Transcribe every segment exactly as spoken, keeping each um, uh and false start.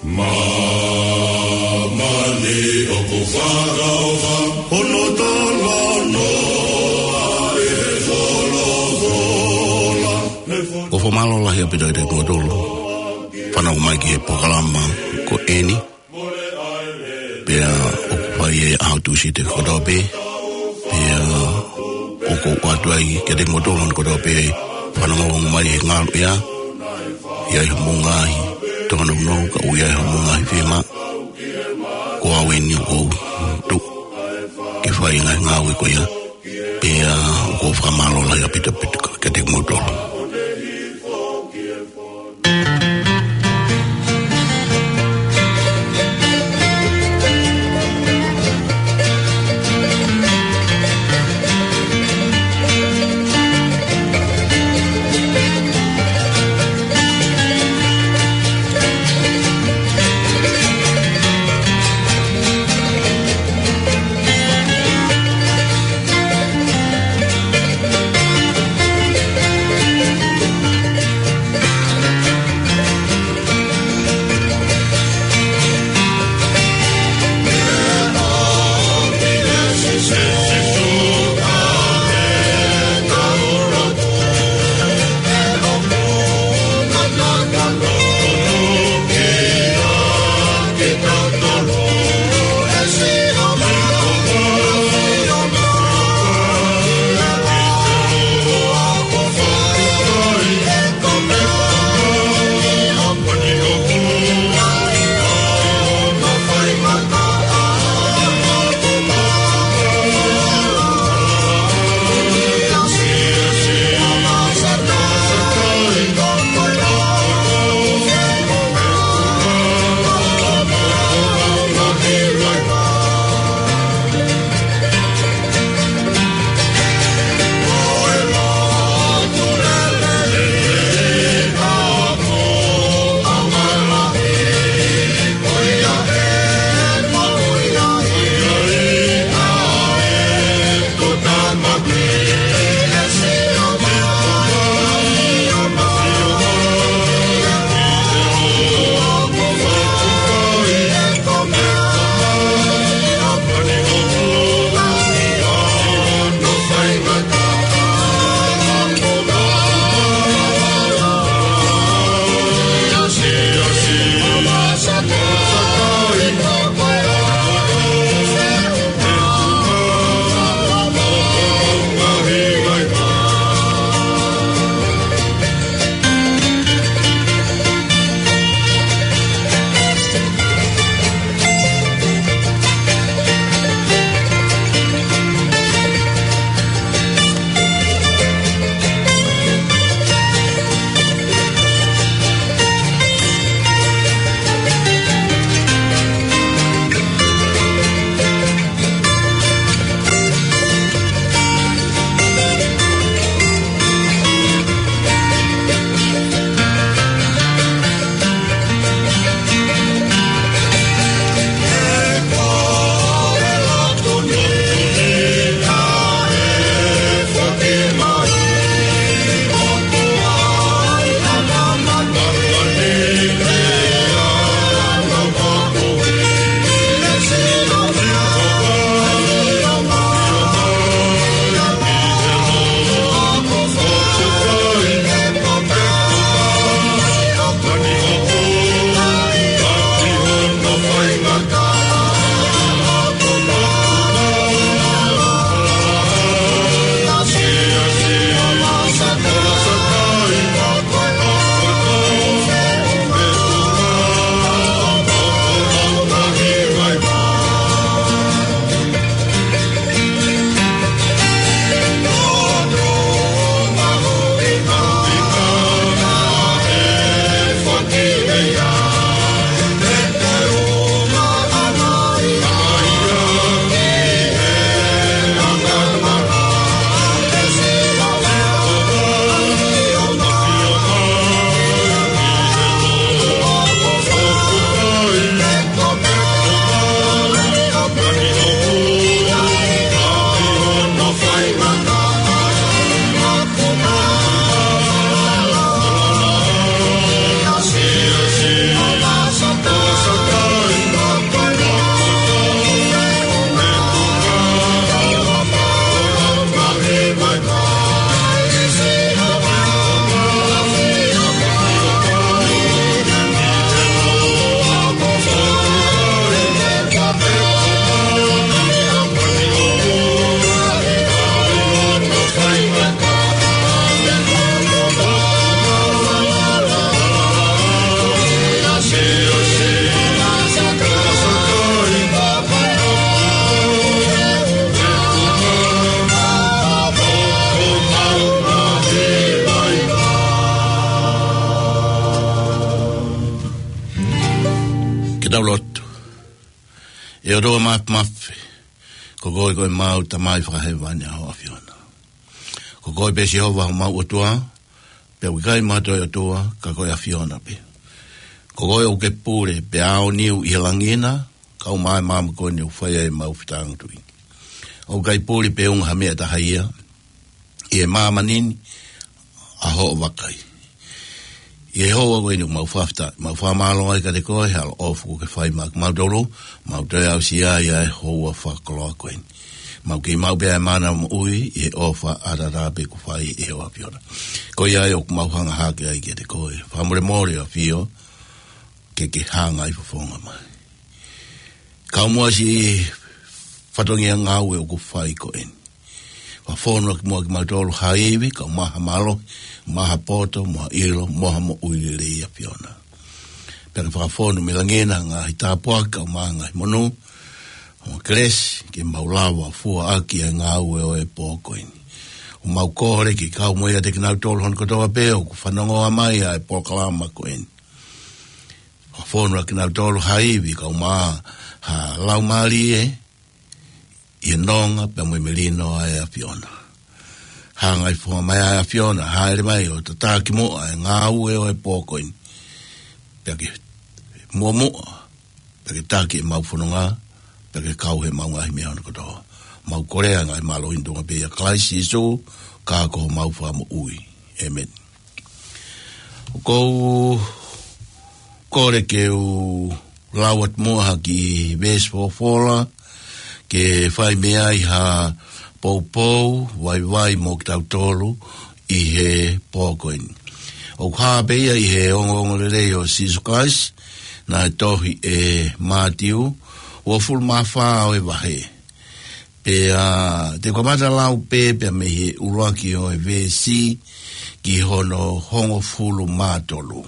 Māmani ʻoku fakaʻofa hono talanoa ʻi he folofola. ʻOku fakamālō lahi ʻaupito kiate kimoutolu fanongo mai ki he polokalama ko eni. Pea ʻoku fai ʻi he ʻaho Tūsite kotoa pē. Pea ʻoku ou ʻoatu ai kiate kimoutolu kotoa pē fanongo mai he ngaluʻea. ʻI ai homou ngaahi tōnounou, ka ʻoku ʻi ai homou ngaahi fiemaʻu. Ko au eni ʻoku ou tuʻu ke fai e ngaahi ngāue ko ia. Pea ʻoku ou fakamālō lahi ʻaupito ʻaupito kiate kimoutolu. Tau lotu. ʻE ʻOtua Māfimafi, ko koe ko ʻemau Tamai fakahēvani ʻa ho ʻAfiona. Ko koe pē Sihova homau ʻOtua, pea ʻoku ʻikai ha toe ʻOtua ka ko e ʻAfiona pē. Ko koe ʻoku ke pule pea ʻaoniu ʻi he langi na, kau mai māmani ko eni ʻoku fai ai ʻemau fetāngutuʻi. ʻOku ʻikai pule pe unga ha meʻa ʻe taha ia ʻi he māmani ni ʻa hoʻo vakai. ʻI he houa ko eni ʻoku mau fakafetaʻi, mau fakamālō ai kiate koe he ʻaloʻofa kuo ke fai maʻa kimautolu, mau toe aʻusia ai ʻa e houa fakakoloa ko eni. Mau kei maʻu pē ʻa e mana moʻui ʻi he ʻofa ʻataʻatā pē kuo fai ʻe ho ʻAfiona. Ko ia ai ʻoku mau hanga hake ai kiate koe. Fakamolemole ʻAfio, ke ke hanga ʻi he fofonga mai. Kau muʻa siʻi fatongia ngāue ʻoku fai ko eni. Fakafonu ʻaki muʻa kimautolu ha ivi, kau maʻu ha mālohi, maʻu ha poto, maʻu ha ʻilo, maʻu ha moʻui lelei ʻAfiona. Pea ke fakafonu mei langi na ha ngaahi tāpuaki, kau maʻu ha ngaahi monū, mo e kelesi, ke mau lava fua ʻaki ʻa e ngāue ʻo e pō ko eni. ʻOku mau kole ke kau mo ia ʻiate kinautolu hono kotoa pē ʻoku fanongoa mai ʻa e polokalama ko eni. Fakafonu ʻaki kinautolu ha ivi, kau maʻu ha laumālie, ʻi he nonga pea mo e melino ʻa e ʻAfiona. Hanga ʻi he fofonga mai ʻa e ʻAfiona, hāʻele mai ʻo tataki muʻa ʻa e ngāue ʻo e pō ko eni. Pea ke muʻomuʻa, pea ke taki ʻemau fononga, pea ke kau heʻemau ngaahi meʻa hono kotoa. Mau kole ʻa e ngaahi mālohi ni ʻi he tuʻunga pē ʻia Kalaisi Sīsū, ka ko homau Fakamoʻui. ʻĒmeni. ʻOku ou kole ke u lau atu muʻa ha kiʻi veesi folofola, ke fai mei ai ha poupou vaivai mo kitautolu ʻi he pō ko eni. ʻOku hā pē ia ʻi he ongoongolelei ʻo Sīsū Kalaisi, naʻe tohi ʻe Mātiu, uofulu mā fā ʻo e vahe. Pea te u kamata lau pē pea mei he ʻuluaki ʻo e veesi ki hono hongofulu mā tolu.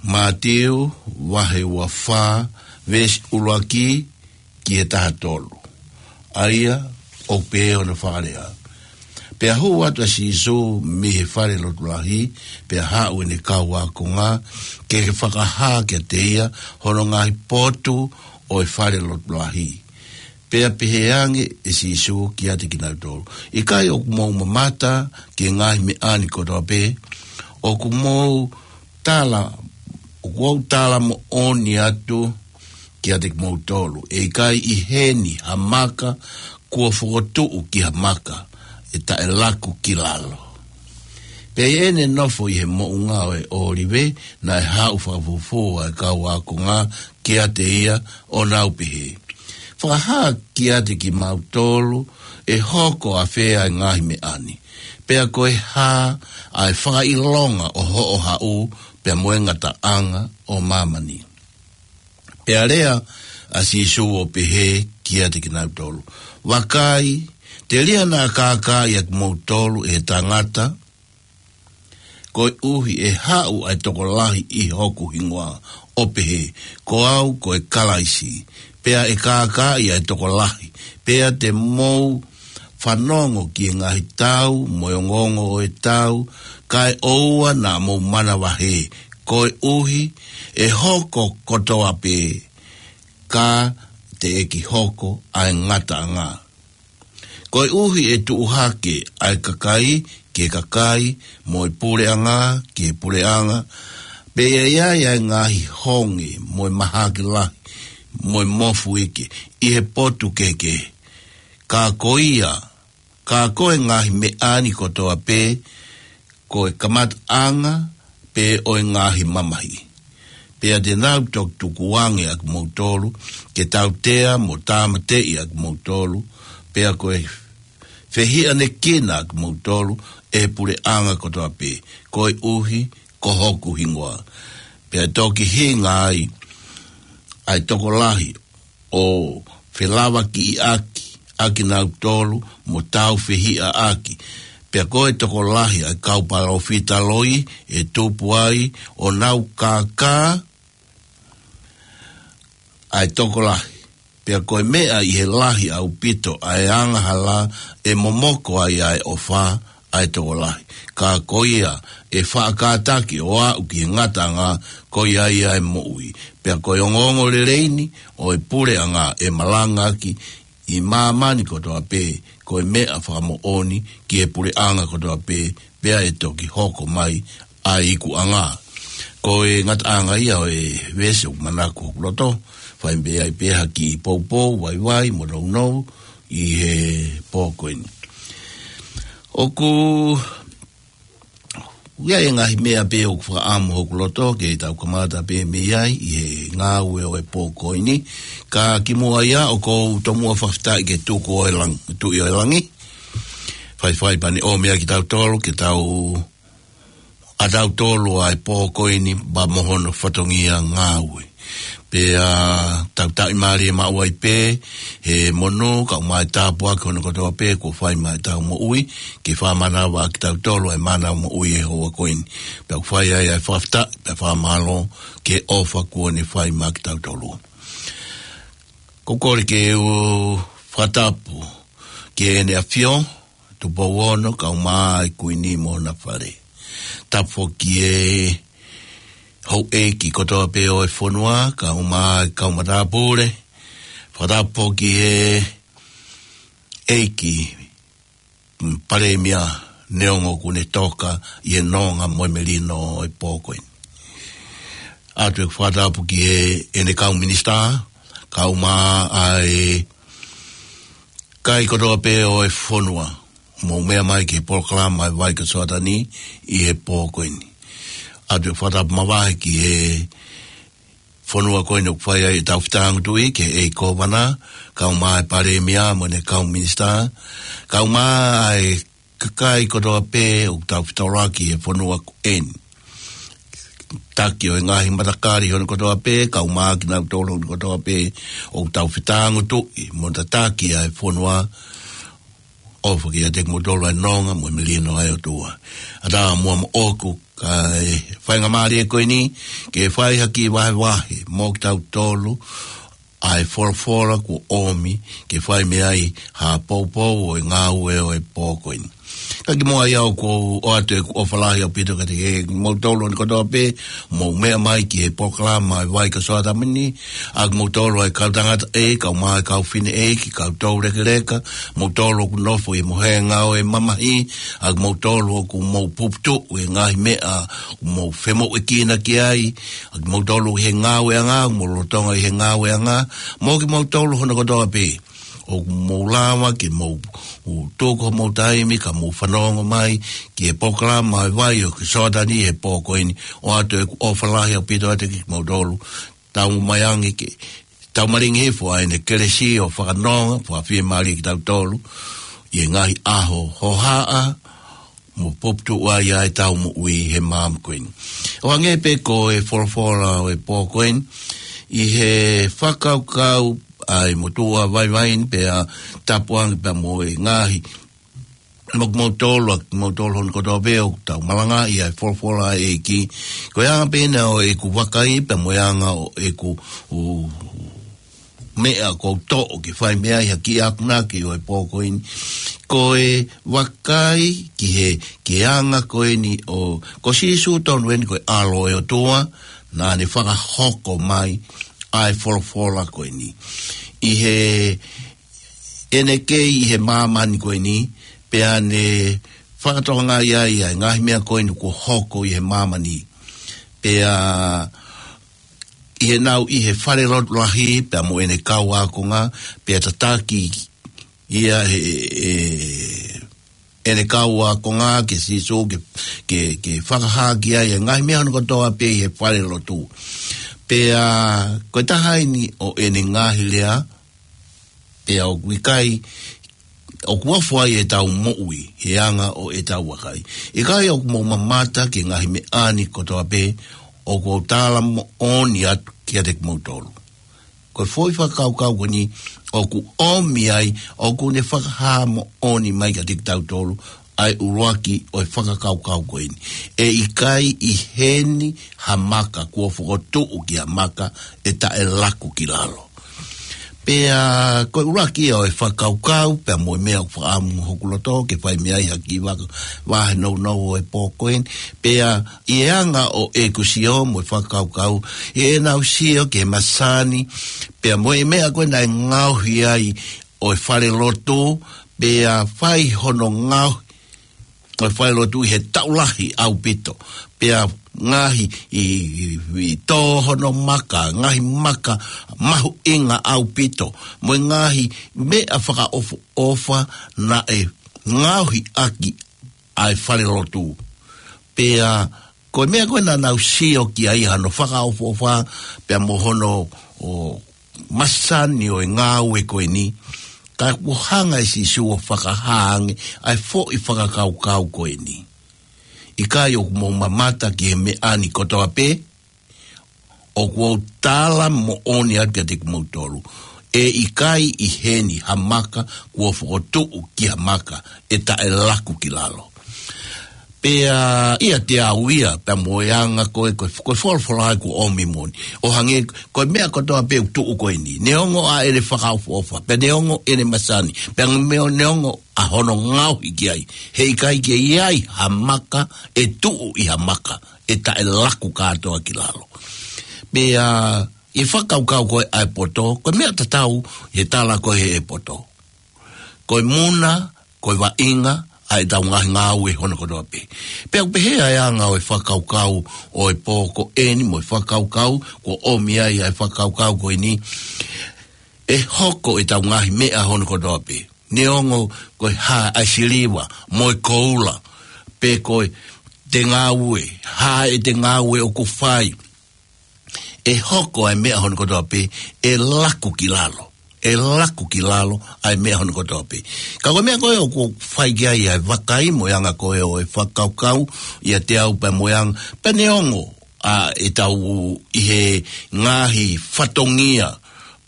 Mātiu, vahe ua fā, veesi ʻuluaki ki he taha tolu. ʻA ia, ʻoku pehē hono fakalea. Pea hū atu ʻa Sīsū mei he fale lotu lahi, pea haʻu ʻene kau ākonga, ke ke fakahā kiate ia hono ngaahi potu ʻo e fale lotu lahi. Pea pehē ange ʻe Sīsū kiate kinautolu, ʻikai ʻoku mou mamata ki he ngaahi meʻa ni kotoa pē? ʻOku mou tala, ʻoku ou tala moʻoni atu kiate kimoutolu, ʻe ʻikai ʻi heni ha maka kuo fokotuʻu ki ha maka ʻe taʻe laku ki lalo. Pea ʻi heʻene nofo ʻi he moʻunga ʻo e ʻŌlive, naʻe haʻu fakafufū ʻa e kau ākonga kiate ia ʻo nau pehē, Fakahā kiate kimautolu ʻe hoko ʻafē ʻa e ngaahi meʻa ni, pea ko e hā ʻa e fakaʻilonga ʻo hoʻo haʻu pea mo e ngataʻanga ʻo māmani. Pea lea ʻa Sīsū ʻo pehē kiate kinautolu, Vakai, telia naʻa kākaaʻi ʻa kimoutolu ʻe he tangata, koeʻuhi ʻe haʻu ʻa e tokolahi ʻi hoku hingoa ʻo pehē, Ko au ko e Kalaisi, pea ʻe kākaaʻi ʻa e tokolahi, pea te mou fanongo ki he ngaahi tau mo e ongoongo ʻo e tau, kae ʻoua naʻa mou manavahē, koeʻuhi ʻe hoko kotoa pē, ka teʻeki hoko ʻa e ngataʻanga. Koeʻuhi ʻe tuʻu hake ʻa e kakai ki he kakai, mo e puleʻanga ki he puleʻanga, pea ʻe ʻi ai ʻa e ngaahi honge, mo e mahaki lahi, mo e mofuike, ʻi he potu kehekehe. Ka ko ia, ka ko e ngaahi meʻa ni kotoa pē, ko e kamataʻanga pē ʻo e ngaahi mamahi. Pea te nau toki tukuange ʻa kimoutolu ke tautea mo tāmateʻi ʻa kimoutolu, pea ko e fehiʻanekina ʻa kimoutolu ʻe he puleʻanga kotoa pē, koeʻuhi ko hoku hingoa. Pea toki hinga ai ʻa e tokolahi ʻo felavakiʻi ʻaki ʻa kinautolu mo tāufehiʻa ʻaki. Pea ko e tokolahi ʻa e kau palōfita loi ʻe tupu ai ʻo nau kākā ʻa e tokolahi. Pea ko e meʻa ʻi he lahi ʻaupito ʻa e angahala ʻe momoko ai ʻa e ʻofa ʻa e tokolahi. Ka ko ia ʻe faʻa kātaki ʻo aʻu ki he ngataʻanga, ko ia ia ʻe moʻui. Pea ko e ongoongolelei ni ʻo e puleʻanga ʻe malangaʻaki ʻi māmani kotoa pē, ko e meʻa fakamoʻoni ki he puleʻanga kotoa pē, pea ʻe toki hoko mai ʻa e ikuʻanga. Ko e ngataʻanga ia ʻo e veesi ʻoku manako hoku loto, fai pē ai pē ha kiʻi poupou, vaivai, mo nounou, ʻi he pō ko eni. ʻOku ʻi ai e ngaahi meʻa pē ʻoku fakaʻamu hoku loto ke tau kamata pē mei ai ʻi he ngāue ʻo e pō ko eni. Ka kimuʻa ia ʻoku ou tomuʻa fakafetaʻi ki he Tuku ʻo e Lang-, Tuʻi ʻo e Langi. Faifai pea ne ʻomi ʻa kitautolu ke tau, ʻa tautolu ʻa e pō ko eni pea mo hono fatongia ngāue. Pea tau taʻimālie maʻu ai pē he monū, kae ʻumaʻā e tāpuaki hono kotoa pē kuo fai maʻa ʻetau moʻui, ke fakamanava ʻa kitautolu ʻa e mānava moʻui he houa ko eni. Pea ʻoku fai ai ʻa e fakafetaʻi, pea fakamālō ki he ʻofa kuo ne fai maʻa kitautolu. ʻOku ou kole ke u fakatapu ki Heʻene ʻAfio, Tupou Ono, kae ʻumaʻā e Kuini mo hona fale. Tapu foki ki he houʻeiki kotoa pē ʻo e fonua, kae ʻumaʻā e kau matāpule. Fakatapu foki ki he ʻEiki, mm, Palēmia neongo kuo ne toka ʻi he nonga mo e melino ʻo e pō ko eni. ʻOatu ʻeku fakatapu ki he, ʻene kau minisitā, kae ʻumaʻā e kakai kotoa pē ʻo e fonua, mou meʻa mai ki he polokalama ʻa e Vai ko Soatani ʻi he pō ko eni. ʻOatu ʻeku fakatapu makehe ki he fonua ko eni ʻoku fai ai ʻetau fetāngutuʻi, ki he ʻEiki Kōvana, kae ʻumaʻā e Palēmia mo ʻene kau minisitā, kae ʻumaʻā e kakai kotoa pē ʻoku tau fetaulaki he fonua ko eni. Taki ʻo e ngaahi matakali hono kotoa pē, kae ʻumaʻā kinautolu hono kotoa pē ʻoku tau fetāngutuʻi mo tataki ʻa e fonua, ʻofa kiate kimoutolu ʻa e nonga mo e melino ʻa e ʻOtua. ʻAtā muʻa moʻoku, kae faingamālie ko eni ke fai ha kiʻi vahevahe mo kitautolu ʻa e folofola kuo ʻomi ke fai mei ai ha poupou ʻo e ngāue ʻo e pō ko eni. Ka kimuʻa ia ʻoku ou ʻoatu ʻeku ʻofa lahi ʻaupito kiate kimoutolu hono kotoa pē, mou meʻa mai ki he polokalama ʻa e Vai ko Soatani, ʻa kimoutolu ʻa e kau tangata ʻē, kae ʻumaʻā e kau fefine ʻeiki, kimoutolu lekeleka, moutolu ʻoku nofo ʻi he mohenga ʻo e mamahi, ʻa kimoutolu ʻoku mou puputuʻu he ngaahi meʻa ʻoku mou femoʻuekina ki ai, ʻa kimoutolu he ngāueʻanga, mou lolotonga ʻi he ngāueʻanga, mo kimoutolu hono kotoa pē ʻoku mou lava ke mou, ʻo tuku homou taimi kae mou fanongo mai ki he polokalama ʻa e Vai ko Soatani he pō ko eni. ʻOatu ʻeku ʻofa lahi ʻaupito kiate kimoutolu. Tau mai ange ke tau malingi hifo ʻa ʻene kelesi ʻo fakanonga, fakafiemālie kitautolu ʻi he ngaahi ʻaho hohaʻa, mo puputuʻu ai ʻa ʻetau moʻui he māmani ko eni. ʻO hangē pē ko e folofola ʻo e pō ko eni, ʻi he fakakaukau ʻa e motuʻa vaivai ni, pea tapu ange pea mo e ngaahi, mo kimoutolu, ʻa kimoutolu hono kotoa pē ʻoku tau malangaʻi ʻa e folofola ʻa e ʻEiki. Ko e anga pē ena ʻo ʻeku vakai pea mo e anga ʻo ʻeku, ʻo, meʻa ʻoku ou toʻo ke fai mei ai ha kiʻi akonaki ʻo e pō ko eni, ko e vakai ki he, ki he anga ko eni ʻo, ko Sīsū tonu eni ko e ʻAlo ʻo e ʻOtua, naʻa ne fakahoko mai ʻa e folofola ko eni. ʻI he, ʻene kei ʻi he māmani ko eni, pea ne fakatokangaʻi ai ʻa e ngaahi meʻa ko eni kuo hoko ʻi he māmani. Pea ʻi heʻenau ʻi he falelotu lahi pea mo ʻene kau ākonga, pea tataki ia he, ʻe, ʻene kau ākonga kia Sīsū ke, ke, ke fakahā ki ai ʻa e ngaahi meʻa hono kotoa pē ʻi he falelotu. Pea ko e taha eni ʻo ʻene ngaahi lea, pea ʻoku ʻikai, ʻoku ofo ai ʻetau moʻui he anga ʻo ʻetau vakai. ʻIkai ʻoku mou mamata ki he ngaahi meʻa ni kotoa pē ʻoku ou tala moʻoni atu kiate kimoutolu. Ko e foʻi fakakaukau ko eni ʻoku ʻomi ai, ʻoku ne fakahā moʻoni mai kiate kitautolu ʻa e ʻuluaki ʻo e fakakaukau ko eni. ʻE ʻikai ʻi heni ha maka kuo fokotuʻu ki ha maka ʻe taʻe laku ki lalo. Pea ko e ʻuluaki ia ʻo e fakakaukau, pea mo e meʻa ʻoku fakaʻamu hoku loto ke fai mei ai ha kiʻi vaka, vahe nounou ʻo e pō ko eni. Pea ʻi he anga ʻo ʻeku sio mo e fakakaukau, ʻi heʻenau sio ki he masani, pea mo e meʻa ko ē naʻe ngaohi ai ʻo e falelotu, pea fai hono ngaohi ʻo e falelotu ʻi he taʻu lahi ʻaupito. Pea ngaohi ʻi, ʻi, ʻi tō hono maka, ngaahi maka mahuʻinga ʻaupito. Mo e ngaahi meʻa fakaʻofoʻofa naʻe ngaohi ʻaki ʻa e falelotu. Pea ko e meʻa ko ē naʻa nau sio ki ai, hono fakaʻofoʻofa, pea mo hono, ʻo, masani ʻo e ngāue ko eni, ka kuo hanga ʻe Sīsū ʻo fakahā ange ʻa e foʻi fakakaukau ko eni. ʻIkai ʻoku mou mamata ki he meʻa ni kotoa pē? ʻOku ou tala moʻoni atu kiate kimoutolu, ʻe ʻikai ʻi heni ha maka kuo fokotuʻu ki ha maka ʻe taʻe laku ki lalo. Pea ʻiate au ia, pea mo e anga ko ē, ko e, ko e folofola ʻoku ʻomi moʻoni. ʻO hangē, ko e meʻa kotoa pē ʻoku tuʻu ko eni, neongo ʻa ʻene fakaʻofoʻofa, pea neongo ʻene masani, pea mo e neongo ʻa hono ngaohi ki ai, heʻikai ke ʻi ai ha maka ʻe tuʻu ʻi ha maka ʻe taʻe laku kātoa ki lalo. Pea ʻi he fakakaukau ko ē ʻa e poto, ko e meʻa tatau ʻi he tala ko ē ʻe he poto. Ko e muna, ko e vaʻinga ʻa ʻetau ngaahi ngāue hono kotoa pē. Pea ʻoku pehē ʻa e anga ʻo e fakakaukau ʻo e pō ko eni mo e fakakaukau kuo ʻomi ai ʻa e fakakaukau ko eni, ʻe hoko ʻetau ngaahi meʻa hono kotoa pē. Neongo ko e hā ʻa e siliva mo e koula, pe ko e te ngāue, hā ʻete ngāue ʻoku fai, ʻe hoko ʻa e meʻa hono kotoa pē, ʻe laku ki lalo. ʻE laku ki lalo ʻa e meʻa hono kotoa pē. Ka ko e meʻa ko ē ʻoku fai ki ai ʻa e vakai mo e anga ko ē ʻo e fakakaukau ʻiate au pea mo e anga, pea neongo ʻa ʻetau ʻi he ngaahi fatongia,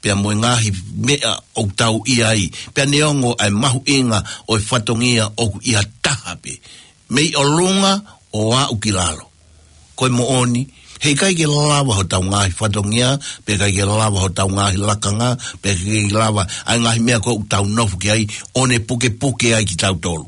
pea mo e ngaahi meʻa ʻoku tau ʻi ai, pea neongo ʻa e mahuʻinga ʻo e fatongia ʻoku ʻi ha taha pē, mei ʻolunga ʻo aʻu ki lalo. Ko e moʻoni, heʻikai ke lava hotau ngaahi fatongia, pe ʻikai ke lava hotau ngaahi lakanga, pe ʻikai ke lava ʻa e ngaahi meʻa ko ē ʻoku tau nofo ki ai, ʻo ne pukepuke ai kitautolu.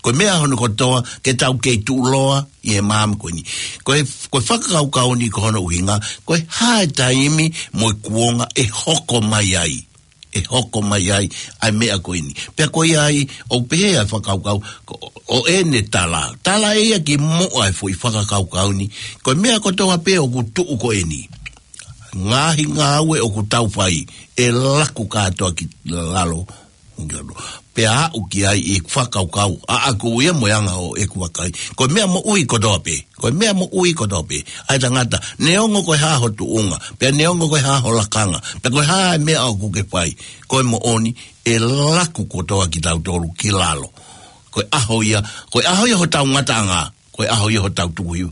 Ko e meʻa hono kotoa, ke tau kei tuʻuloa ʻi he māmani ko eni. Ko e, ko e fakakaukau ni ko hono ʻuhinga, ko e hā e taimi mo e kuonga ʻe hoko mai ai. ʻE hoko mai ai ʻa e meʻa ko eni. Pea ko ia ai, ʻoku pehē ʻa e fakakaukau, ko, ʻo ʻene tala. Tala ʻe ia kimuʻa e foʻi fakakaukau ni. Ko e meʻa kotoa pē ʻoku tuʻu ko eni, ngaahi ngāue ʻoku tau fai, ʻe laku kātoa ki lalo. Pea aʻu ki ai ʻi he fakakaukau ʻaʻaku ia mo e anga ʻo ʻeku vakai. Ko e meʻa moʻui kotoa pē. Ko e meʻa moʻui kotoa pē ʻa e tangata, neongo ko e hā ho tuʻunga, pea neongo ko e hā ho lakanga, pea ko e hā e meʻa ʻoku ke fai, ko e moʻoni, ʻe laku kotoa kitautolu ki lalo. Ko e ʻaho ia, ko e ʻaho ia hotau ngataʻanga, ko e ʻaho ia hotau tukuhivá,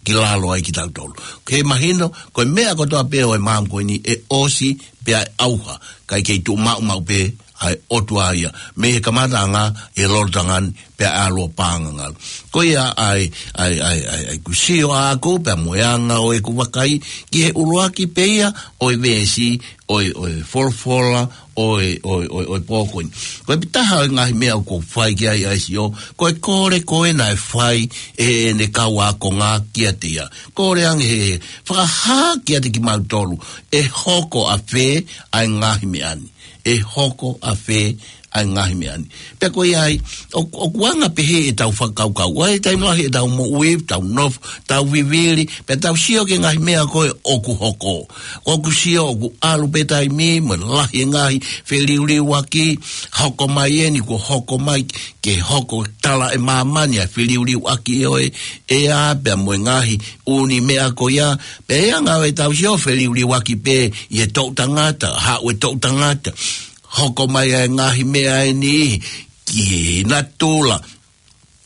ki lalo ai kitautolu. Ke mahino, ko e meʻa kotoa pē ʻo e māmani ko eni ʻe ʻosi, pea ʻe ʻauha, kae kei tuʻu maʻumaʻu pē ʻa e ʻOtua ia, mei he kamataʻanga ʻi he lolotonga ni, pea ʻalu ʻo paʻanga ngalu. Ko ia ai, ai, ai, ai, ai, ʻoku sio ʻaʻaku, pea mo e anga ʻo ʻeku vakai, ki he ʻuluaki pē ia ʻo e veesi, ʻo e, ʻo e folofola, ʻo e, ʻo e, ʻo e, ʻo e pō ko eni. Ko e pitaha ʻo e ngaahi meʻa ʻoku ou fai ki ai ʻa e sio, ko e kole ko ē naʻe fai ʻe heʻene kau ākonga kiate ia. Kole ange he, he, fakahā kiate kimautolu, ʻe hoko ʻa fē ʻa e ngaahi meʻa ni. ʻE hoko ʻa fē ʻa e ngaahi meʻa ni. Pea ko ia ai, ʻo, ʻoku anga pehē ʻetau fakakaukau. ʻA e taimi lahi ʻetau moʻui, tau nofo, tau vivili, pea tau sio ki he ngaahi meʻa ko ē ʻoku hoko. ʻOku sio ʻoku ʻalu pē taimi, mo e lahi e ngaahi feliuliuaki, hoko mai eni, kuo hoko mai, ke hoko tala ʻe māmani ʻa e feliuliuaki ʻo e, ʻea, pea mo e ngaahi ʻū meʻa ko ia, pea ʻi he anga ʻo ʻetau sio feliuliuaki pē ʻi he toʻu tangata, haʻu e toʻu tangata, hoko mai ʻa e ngaahi meʻa ʻe niʻihi ki he natula,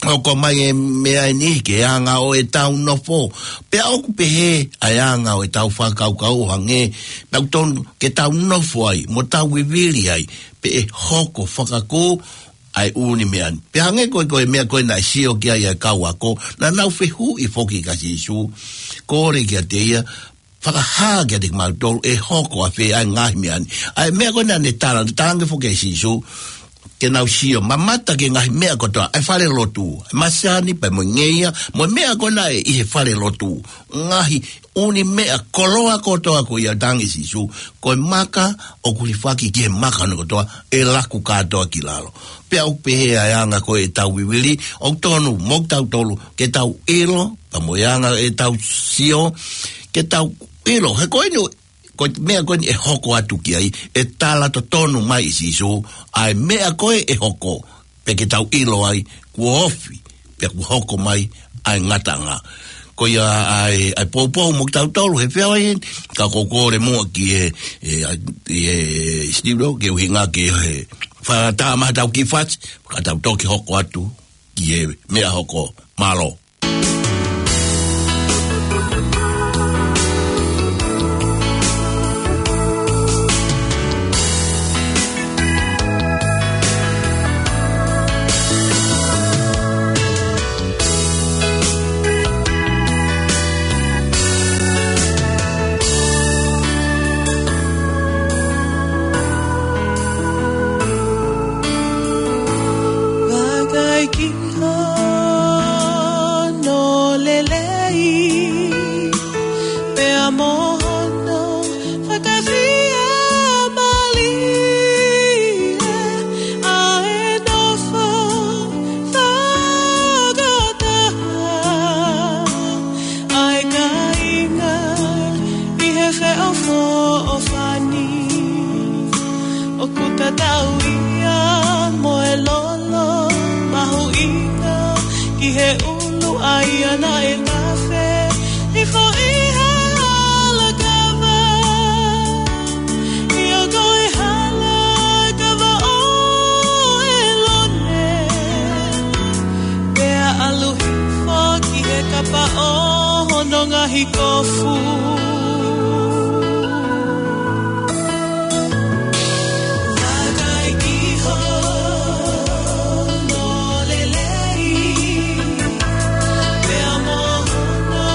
hoko mai e meʻa ʻe niʻihi ki he anga ʻo ʻetau nofo. Pea ʻoku pehē ʻa e anga ʻo ʻetau fakakaukau ʻo hangē, pea ʻoku totonu ke tau nofo ai, mo tau vivili ai, pea ʻe hoko fakakū ʻa e ʻū meʻa ni. Pea hangē ko e, ko e meʻa ko ē naʻe sio ki ai ʻa e kau ako, naʻa nau fehuʻi foki kia Sīsū, kole kiate ia, fakahā kiate kimautolu ʻe hoko ʻafē ʻa e ngaahi meʻa ni. ʻA e meʻa ko ena naʻe tala, talaange foki ʻe Sīsū ke nau sio, mamata ki he ngaahi meʻa kotoa, ʻa e fale lotu, ʻa e masani pea mo e ngeia, mo e meʻa ko ena ʻi he fale lotu. Ngaahi ʻū meʻa koloa kotoa ko ia, talaange ʻe Sīsū, ko e maka ʻoku hilifaki ki he maka hono kotoa, ʻe laku kātoa ki lalo. Pea ʻoku pehē ʻa e anga ko ē ʻetau vivili, ʻoku tonu mo kitautolu ke tau ʻilo, pea mo e anga ʻetau sio, ke tau ʻilo. He ko eni, ko e meʻa ko eni ʻe hoko atu ki ai, ʻe tala totonu mai ʻe Sīsū ʻa e meʻa ko ē ʻe hoko, pea ke tau ʻilo ai kuo ofi, pea kuo hoko mai ʻa e ngataʻanga. Ko ia ʻa e, ʻa e poupou mo kitautolu he feʻauhi ni, ka ʻoku ou kole muʻa ki he, e, ʻa, e, Steve Rowe, ke ʻuhinga ki he fakatātā mai ʻetau kiʻi fasi, ka tau toki hoko atu ki he meʻa hoko. Mālō. Vakai ki hono lelei, pea mo hono fakafiemālie, ʻa e nofo fakataha ʻa e kāinga ʻi he feʻofoʻofani. ʻOku tatau ia mo e lolo mahuʻinga ki he ʻulu ʻa ia naʻe tafe hifo ʻi he hala kava. ʻIo, ko e hala kava ʻo ʻElone, pea ʻalu hifo ki he kapa ʻo hono ngaahi kofu. Vakai ki hono lelei, pea mo hono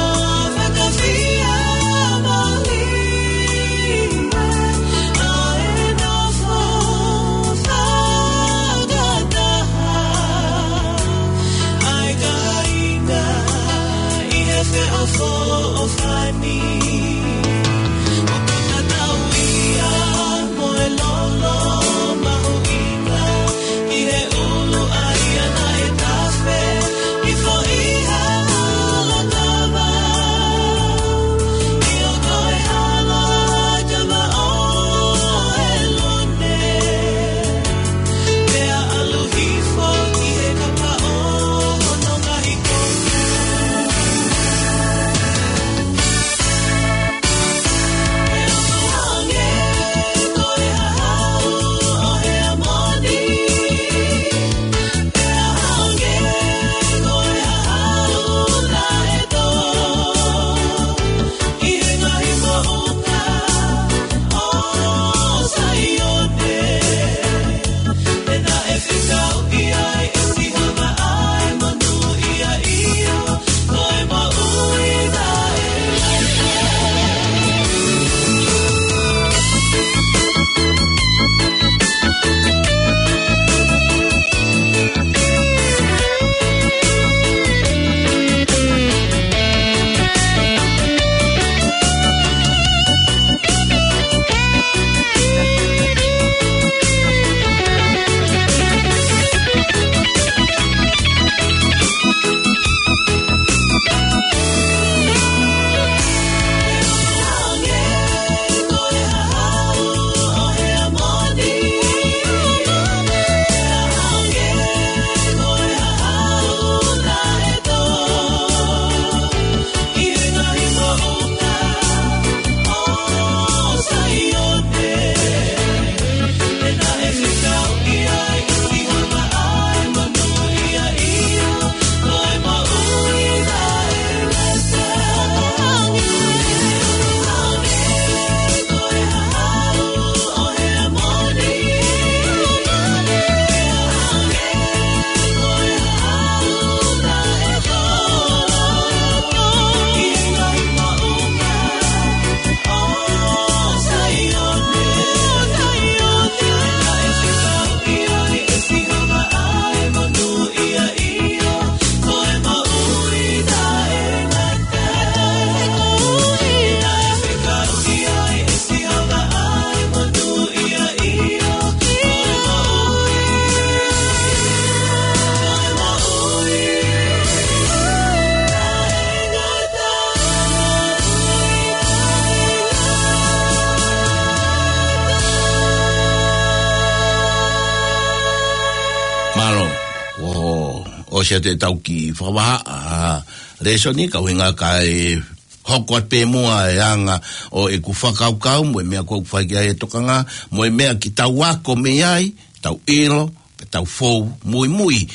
ʻOsi ʻetau kiʻi fakavahaʻa lēsoni, ka ʻuhinga kae hoko atu pē muʻa e anga ʻo ʻeku fakakaukau, mo e meʻa ʻoku fai ki ai e tokanga, mo e meʻa ke tau ako mei ai, tau ʻilo, pea tau fou muimui,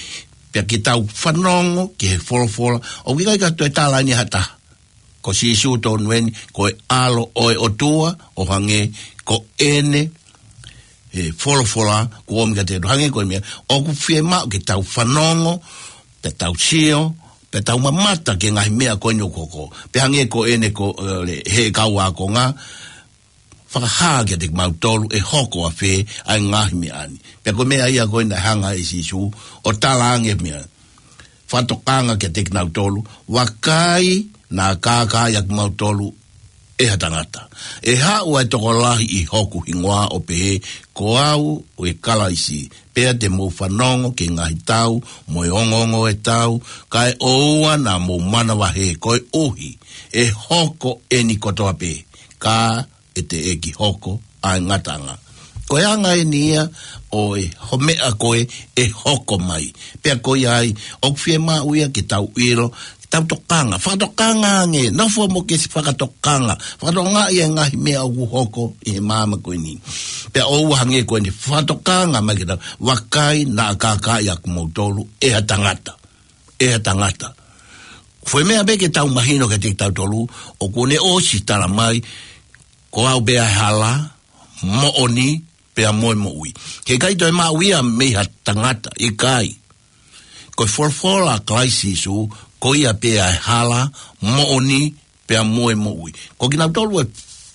pea ke tau fanongo ki he folofola. ʻOku ʻikai ke toe tala ʻe ha taha ko Sīsū tonu eni, ko e ʻAlo ʻo e ʻOtua, ʻo hangē ko ʻene, e folofola, kuo ʻomi kiate kitautolu, hangē ko e meʻa ʻoku fiemaʻu ke tau fanongo, pea tau sio, pea tau mamata ki he ngaahi meʻa ko eni ʻoku hoko. Pea hangē ko ʻene ko, ē, he kau ākonga, fakahā kiate kimautolu ʻe hoko ʻafē ʻa e ngaahi meʻa ni. Pea ko e meʻa ia ko ē naʻe hanga ʻe Sīsū ʻo tala ange meʻa. Fakatokanga kiate kinautolu, vakai naʻa kākaaʻi ʻa kimautolu ʻe ha tangata. ʻE haʻu ʻa e tokolahi ʻi hoku hingoa ʻo pehē, ko au ʻa e Kalaisi, pea te mou fanongo ki he ngaahi tau mo e ongoongo ʻo e tau, kae ʻoua naʻa mou manavahē, koeʻuhi ʻe hoko eni kotoa pē, ka ʻe teʻeki hoko ʻa e ngataʻanga. Ko e anga eni ia ʻo e, ho meʻa ko ē ʻe hoko mai. Pea ko ia ai, ʻoku fiemaʻu ia ke tau ʻilo, ke tau tokanga, fakatokanga ange, nofo mo ke si fakatokanga, fakatokanga ʻi he ngaahi meʻa ʻoku hoko ʻi he māmani ko eni. Pea ʻoua hangē ko eni, fakatokanga mai ke tau, vakai naʻa kākaaʻi ʻa kimautolu ʻe ha tangata. ʻE ha tangata. Ko e meʻa pē ke tau mahino kiate kitautolu, ʻoku ne ʻosi tala mai, ko au pē ʻa e hala, moʻoni, pea mo e moʻui. He ʻikai toe maʻu ia mei ha tangata, ʻikai. Ko e folofola ʻa Kalaisi Sīsū, ko ia pē ʻa e hala, moʻoni, pea mo e moʻui. Ko kinautolu ʻe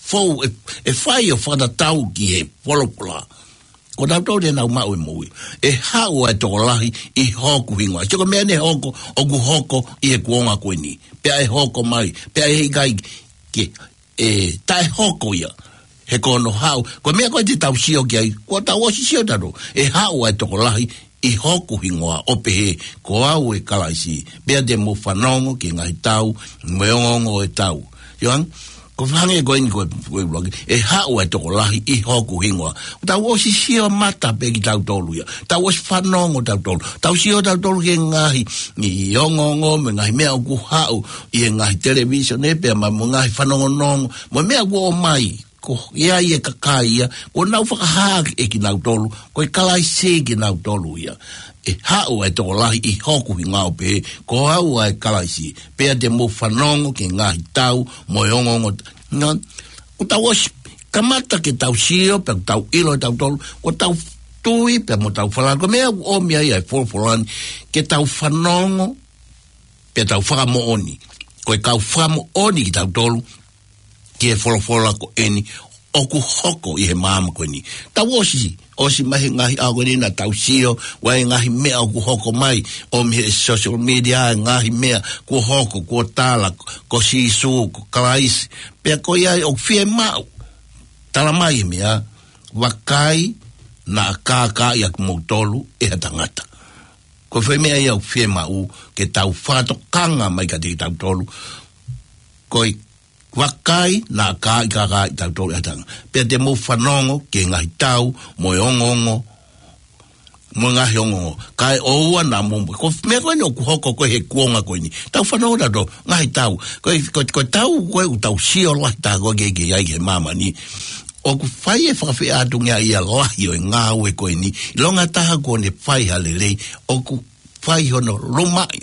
fou, ʻe, ʻe fai ʻo fakatatau ki he folofola, ko kinautolu te nau maʻu e moʻui. ʻE haʻu ʻa e tokolahi ʻi hoku hingoa. Sio ko e meʻa ne hoko, ʻoku hoko ʻi he kuonga ko eni. Pea ʻe hoko mai, pea ʻe ʻikai ke, ʻe, taʻe hoko ia. He ko hono haʻu, ko e meʻa ko ē te tau sio ki ai, kuo tau ʻosi sio tautolu. ʻE haʻu ʻa e tokolahi ʻi hoku hingoa ʻo pehē, ko au ʻa e Kalaisi, pea te mou fanongo ki he ngaahi tau, mo e ongoongo ʻo e tau. Ioan, ko e hangē ko eni ko e, ko e ʻuluaki, ʻe haʻu ʻa e tokolahi ʻi hoku hingoa. Tau ʻosi sio mata pē kitautolu ia. Tau ʻosi fanongo tautolu. Tau sio tautolu ki he ngaahi, ʻi ongoongo, mo e ngaahi meʻa ʻoku haʻu ʻi he ngaahi televīsone, pea mo e ngaahi fanongonongo, mo e meʻa ʻoku ʻomai. Ko ia ʻa e kakai ia, kuo nau fakahā ʻe kinautolu, ko e Kalaisi kinautolu ia. ʻE haʻu ʻa e tokolahi ʻi hoku hingoa ʻo pehē, ko au ʻa e Kalaisi, pea te mou fanongo ki he ngaahi tau, mo e ongoongo. Nā, kuo tau ʻosi, kamata ke tau sio, pea kuo tau ʻilo ʻe tautolu, kuo tau tui, pea mo tau falala, ko e meʻa ʻoku ʻomi ai ʻa e folofola ni, ke tau fanongo, pea tau fakamoʻoni. Ko e kau fakamoʻoni kitautolu, ki he folofola ko eni, ʻoku hoko ʻi he māmani ko eni. Tau ʻosi, ʻosi mai he ngaahi ʻaho ko eni naʻa tau sio, ʻa e ngaahi meʻa ʻoku hoko mai, ʻomi he social media, ngaahi meʻa, kuo hoko, kuo tala, ko Sīsū, ko Kalaisi, pea ko ia ai ʻoku fiemaʻu. Tala mai e meʻa, vakai, naʻa kākaaʻi ʻa kimautolu, ʻe ha tangata. Ko e fē meʻa ia ʻoku fiemaʻu, ke tau fakatokanga mai kiate kitautolu. Ko e vakai, naʻa kākaaʻi kitautolu ʻe ha tangata. Pea te mou fanongo ki he ngaahi tau, mo e ongoongo, mo e ngaahi ongoongo. Kae ʻoua naʻa mou, ko e meʻa ko eni ʻoku hoko ko ē he kuonga ko eni. Tau fanongo tautolu, ngaahi tau. Ko e, ko e, ko e tau, ko e ʻoku tau sio lahi taha ko ē ke, ke ʻi ai he māmani. ʻOku fai e fakafeʻātungia ia lahi ʻo e ngāue ko eni. ʻIlonga taha kuo ne fai ha lelei. ʻOku fai hono lumaʻi,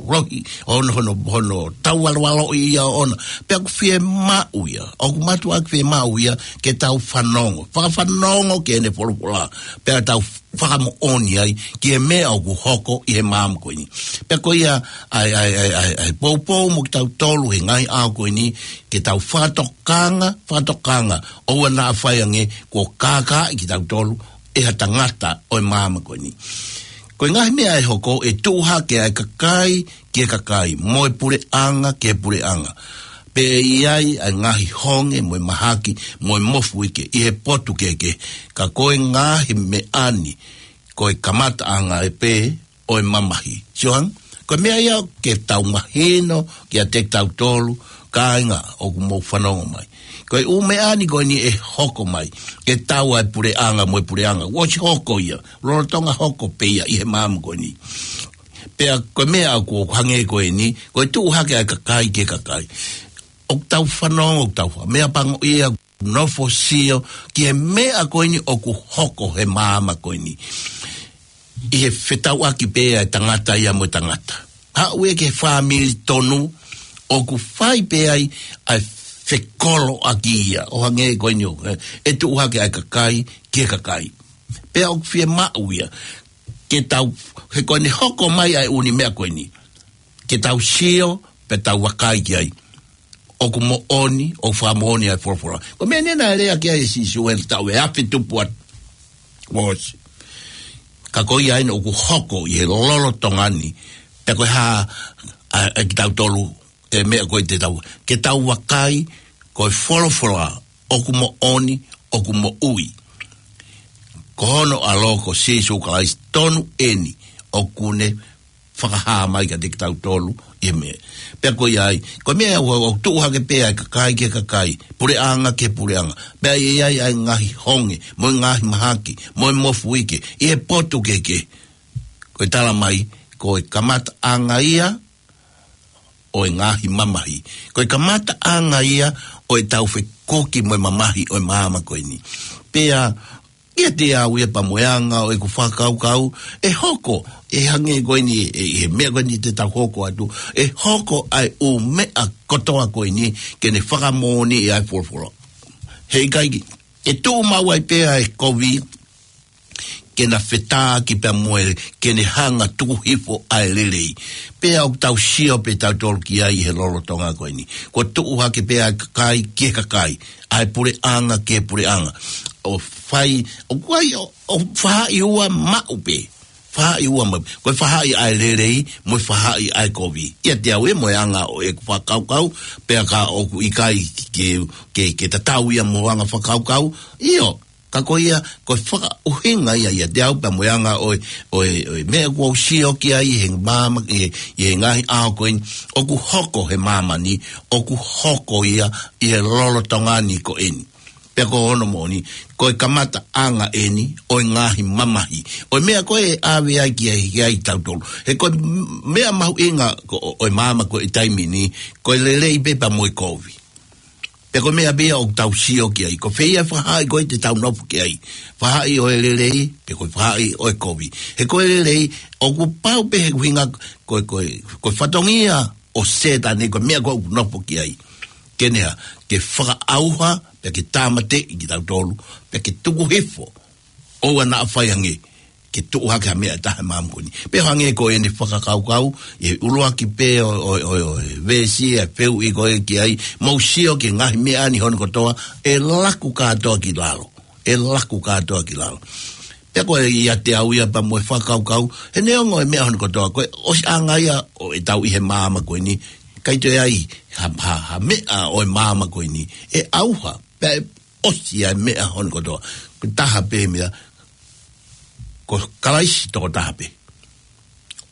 lohi, hono, hono, hono taualualuʻi ia ʻoʻona. Pea ʻoku fiemaʻu ia, ʻoku mātuʻaki fiemaʻu ia, ke tau fanongo. Fakafanongo ki heʻene folofola. Pea tau fakamoʻoni ai, ki he meʻa ʻoku hoko ʻi he māmani ko eni. Pea ko ia, ʻa e, ʻa e, ʻa e, ʻa e, ʻa e poupou mo kitautolu he ngaahi ʻaho ko eni, ke tau fakatokanga, fakatokanga, ʻoua naʻa fai ange, kuo kākaaʻi kitautolu, ʻe ha tangata ʻo e māmani ko eni. Ko e ngaahi meʻa ʻe hoko ʻe tuʻu hake ʻa e kakai ki he kakai, mo e puleʻanga ki he puleʻanga. Pea ʻe ʻi ai ʻa e ngaahi honge, mo e mahaki, mo e mofuike, ʻi he potu kehekehe. Ka ko e ngaahi meʻa ni, ko e kamataʻanga ē pē, ʻo e mamahi. Sio ange, ko e meʻa ia ke tau mahino, kiate kitautolu, kāinga ʻoku mou fanongo mai. Ko e ʻū meʻa ni ko eni ʻe hoko mai, ke tau ʻa e puleʻanga mo e puleʻanga. ʻOsi hoko ia, lolotonga hoko pē ia ʻi he māmani ko eni. Pea ko e meʻa ʻoku hangē ko eni, ko e tuʻu hake ʻa e kakai ki he kakai. ʻOku tau fanongo, ʻoku tau fa-, meʻapango ia, nofo sio ki he meʻa ko eni ʻoku hoko he māmani ko eni. ʻI he fetauʻaki pē ʻa e tangata ia mo e tangata. Haʻu ia ki he fāmili tonu, ʻoku fai pē ai ʻa e fekoloʻaki ia. ʻO hangē ko eni ʻoku, ē, ʻe tuʻu hake ʻa e kakai ki he kakai. Pea ʻoku fiemaʻu ia ke tau, he ko eni hoko mai ʻa e ʻū meʻa ko eni, ke tau sio, pea tau vakai ki ai. ʻOku moʻoni, ʻoku fakamoʻoni ʻa e folofola. Ko e meʻa eni naʻe lea ki ai ʻa Sīsū he taʻu ʻe afe tupu atu. Kuo ʻosi. Ka ko ia eni ʻoku hoko ʻi he lolotonga ni. Pea ko e hā, ʻa, ʻa kitautolu, ʻe meʻa ko ē te tau, ke tau vakai, ko e folofola, ʻoku moʻoni, ʻoku moʻui. Ko hono ʻAlo ko Sīsū Kalaisi tonu eni, ʻoku ne fakahā mai kiate kitautolu ʻi he meʻa. Pea ko ia ai, ko e meʻa ʻoku, ʻoku tuʻu hake pē ʻa e kakai ki he kakai, puleʻanga ki he puleʻanga. Pea ʻe ʻi ai ʻa e ngaahi honge, mo e ngaahi mahaki, mo e mofuike, ʻi he potu kehekehe. Ko e tala mai, ko e kamataʻanga ia ʻo e ngaahi mamahi. Ko e kamataʻanga ia ʻo e tau fekuki mo e mamahi ʻo e māmani ko eni. Pea, ʻiate au ia pea mo e anga ʻo ʻeku fakakaukau, ʻe hoko, ʻe hangē ko eni, ʻe, he meʻa ko eni te tau hoko atu, ʻe hoko ʻa e ʻū meʻa kotoa ko eni, ke ne fakamoʻoni ʻa e folofola. He ʻikai ke, ʻe tuʻu maʻu ai pē ʻa e kovi, ke na fetāki pea mo e, ke ne hanga tuku hifo ʻa e lelei. Pea ʻoku tau sio pē tautolu ki ai he lolotonga ko eni. Kuo tuʻu hake pē ʻa e kakai ki he kakai, ʻa e puleʻanga ki he puleʻanga. ʻO fai, ʻoku ʻi ai, ʻo, ʻo faʻahi ua maʻu pē. Faʻahi ua maʻu. Ko e faʻahi ʻa e lelei, mo e faʻahi ʻa e kovi. ʻIate au ia mo e anga ʻo ʻeku fakakaukau, pea ka ʻoku ʻikai ke, ke, ke tatau ia mo e anga fakakaukau. ʻIo, ka ko ia, ko e fakaʻuhinga ia ʻiate au pea mo e anga ʻo e, ʻo e, ʻo e meʻa kuo u sio ki ai he māmani, ʻi he, ʻi he ngaahi ʻaho ko eni, ʻoku hoko he māmani, ʻoku hoko ia ʻi he lolotonga ni ko eni. Pea ko hono moʻoni, ko e kamataʻanga eni ʻo e ngaahi mamahi. ʻO e meʻa ko ē ʻe ʻave ai ki ai, ki ai tautolu. He ko e meʻa mahuʻinga ko, ʻo e māmani ko e taimi ni, ko e lelei pē pea mo e kovi. Pea ko e meʻa pē ia ʻoku tau sio ki ai. Ko fē ia e faʻahi ko ē te tau nofo ki ai. Faʻahi ʻo e lelei, pe ko e faʻahi ʻo e kovi. He ko e lelei, ʻoku pau pē he ʻuhinga ko e, ko e, ko e fatongia ʻo Sētane ko e meʻa ko ē ʻoku nofo ki ai. Ke ne hā, ke fakaʻauha, pea ke tāmateʻi kitautolu, pea ke tuku hifo. ʻOua naʻa fai ange, ke tuʻu hake ha meʻa ʻe taha he māmani ko eni. Pea hangē ko eni fakakaukau, ʻi he ʻuluaki pē ʻo, ʻo, ʻo, ʻo e veesi ʻa e fehuʻi ko ē ki ai, mou sio ki he ngaahi meʻa ni hono kotoa, ʻe laku kātoa ki lalo. ʻE laku kātoa ki lalo. Pea ko e ʻiate au ia pea mo e fakakaukau, he neongo e meʻa hono kotoa, ko e ʻosiʻanga ia ʻo e tau ʻi he māmani ko eni, ʻikai toe ʻi ai ha, ha, ha meʻa ʻo e māmani ko eni, ʻe ʻauha, pea ʻe ʻosi ʻa e meʻa hono kotoa. Ko e taha pē meʻa, ko Kalaisi tokotaha pē.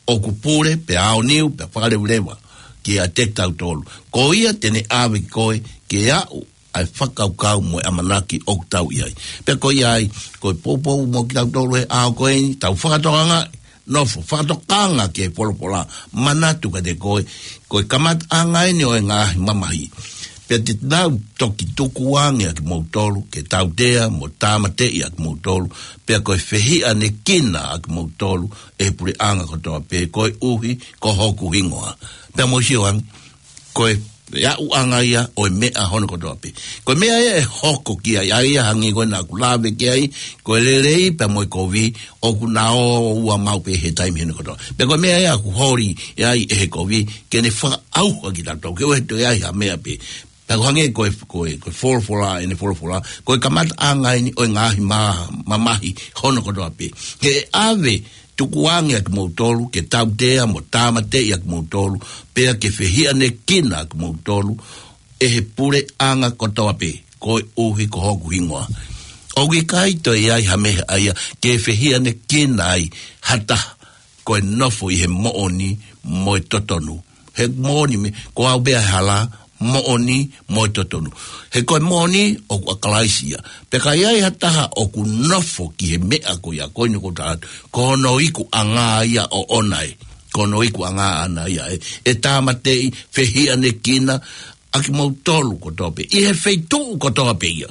ʻOku pule, pea aoniu, pea fakaleveleva, kiate kitautolu. Ko ia te ne ʻave koe, ke aʻu, ʻa e fakakaukau mo e ʻamanaki ʻoku tau ʻi ai. Pea ko ia ai, ko e poupou mo kitautolu he ʻaho ko eni, tau fakatokanga, nofo, fakatokanga ki he folofola, manatu kiate koe, ko e kamataʻanga eni ʻo e ngaahi mamahi. Pea te nau toki tukuange ʻa kimoutolu, ke tautea, mo tāmateʻi ʻa kimoutolu, pea ko e fehiʻanekina ʻa kimoutolu, ʻe he puleʻanga kotoa pē, koeʻuhi, ko hoku hingoa. Pea mou sio ange, ko e, e aʻuʻanga ia ʻo e meʻa hono kotoa pē. Ko e meʻa ia ʻe hoko ki ai, ʻa ia hangē ko ē naʻa ku lave ki ai, ko e lelei pea mo e kovi, ʻoku na ō ua maʻu pē he taimi hono kotoa. Pea ko e meʻa ia ʻoku holi ʻe ai ʻe he kovi, ke ne fakaʻauha kitautolu, ke ʻoua toe ʻi ai ha meʻa pē. Pea ko e hangē ko e, ko e, ko e folofola, ʻene folofola, ko e kamataʻanga eni ʻo e ngaahi ma-, mamahi hono kotoa pē. He ʻe ʻave, tukuange ʻa kimoutolu, ke tautea mo tāmateʻi ʻa kimoutolu, pea ke fehiʻanekina ʻa kimoutolu, ʻe he puleʻanga kotoa pē, koeʻuhi ko hoku hingoa. ʻOku ʻikai toe ʻi ai ha meʻa ia, ke fehiʻanekina ai, ha taha, ko e nofo ʻi he moʻoni, mo e totonu. He moʻoni mei, ko au pē ʻa e hala, moʻoni, mo e totonu. He ko e moʻoni, ʻoku ʻa Kalaisi ia. Pea ka ʻi ai ha taha ʻoku nofo ki he meʻa ko ia, ko eni ʻoku ou tala atu, ko hono ikuʻanga ia ʻoʻona ē. Ko hono ikuʻanga ʻana ia ē, ʻe tāmateʻi, fehiʻanekina ʻa kimoutolu kotoa pē ʻi he feituʻu kotoa pē ia.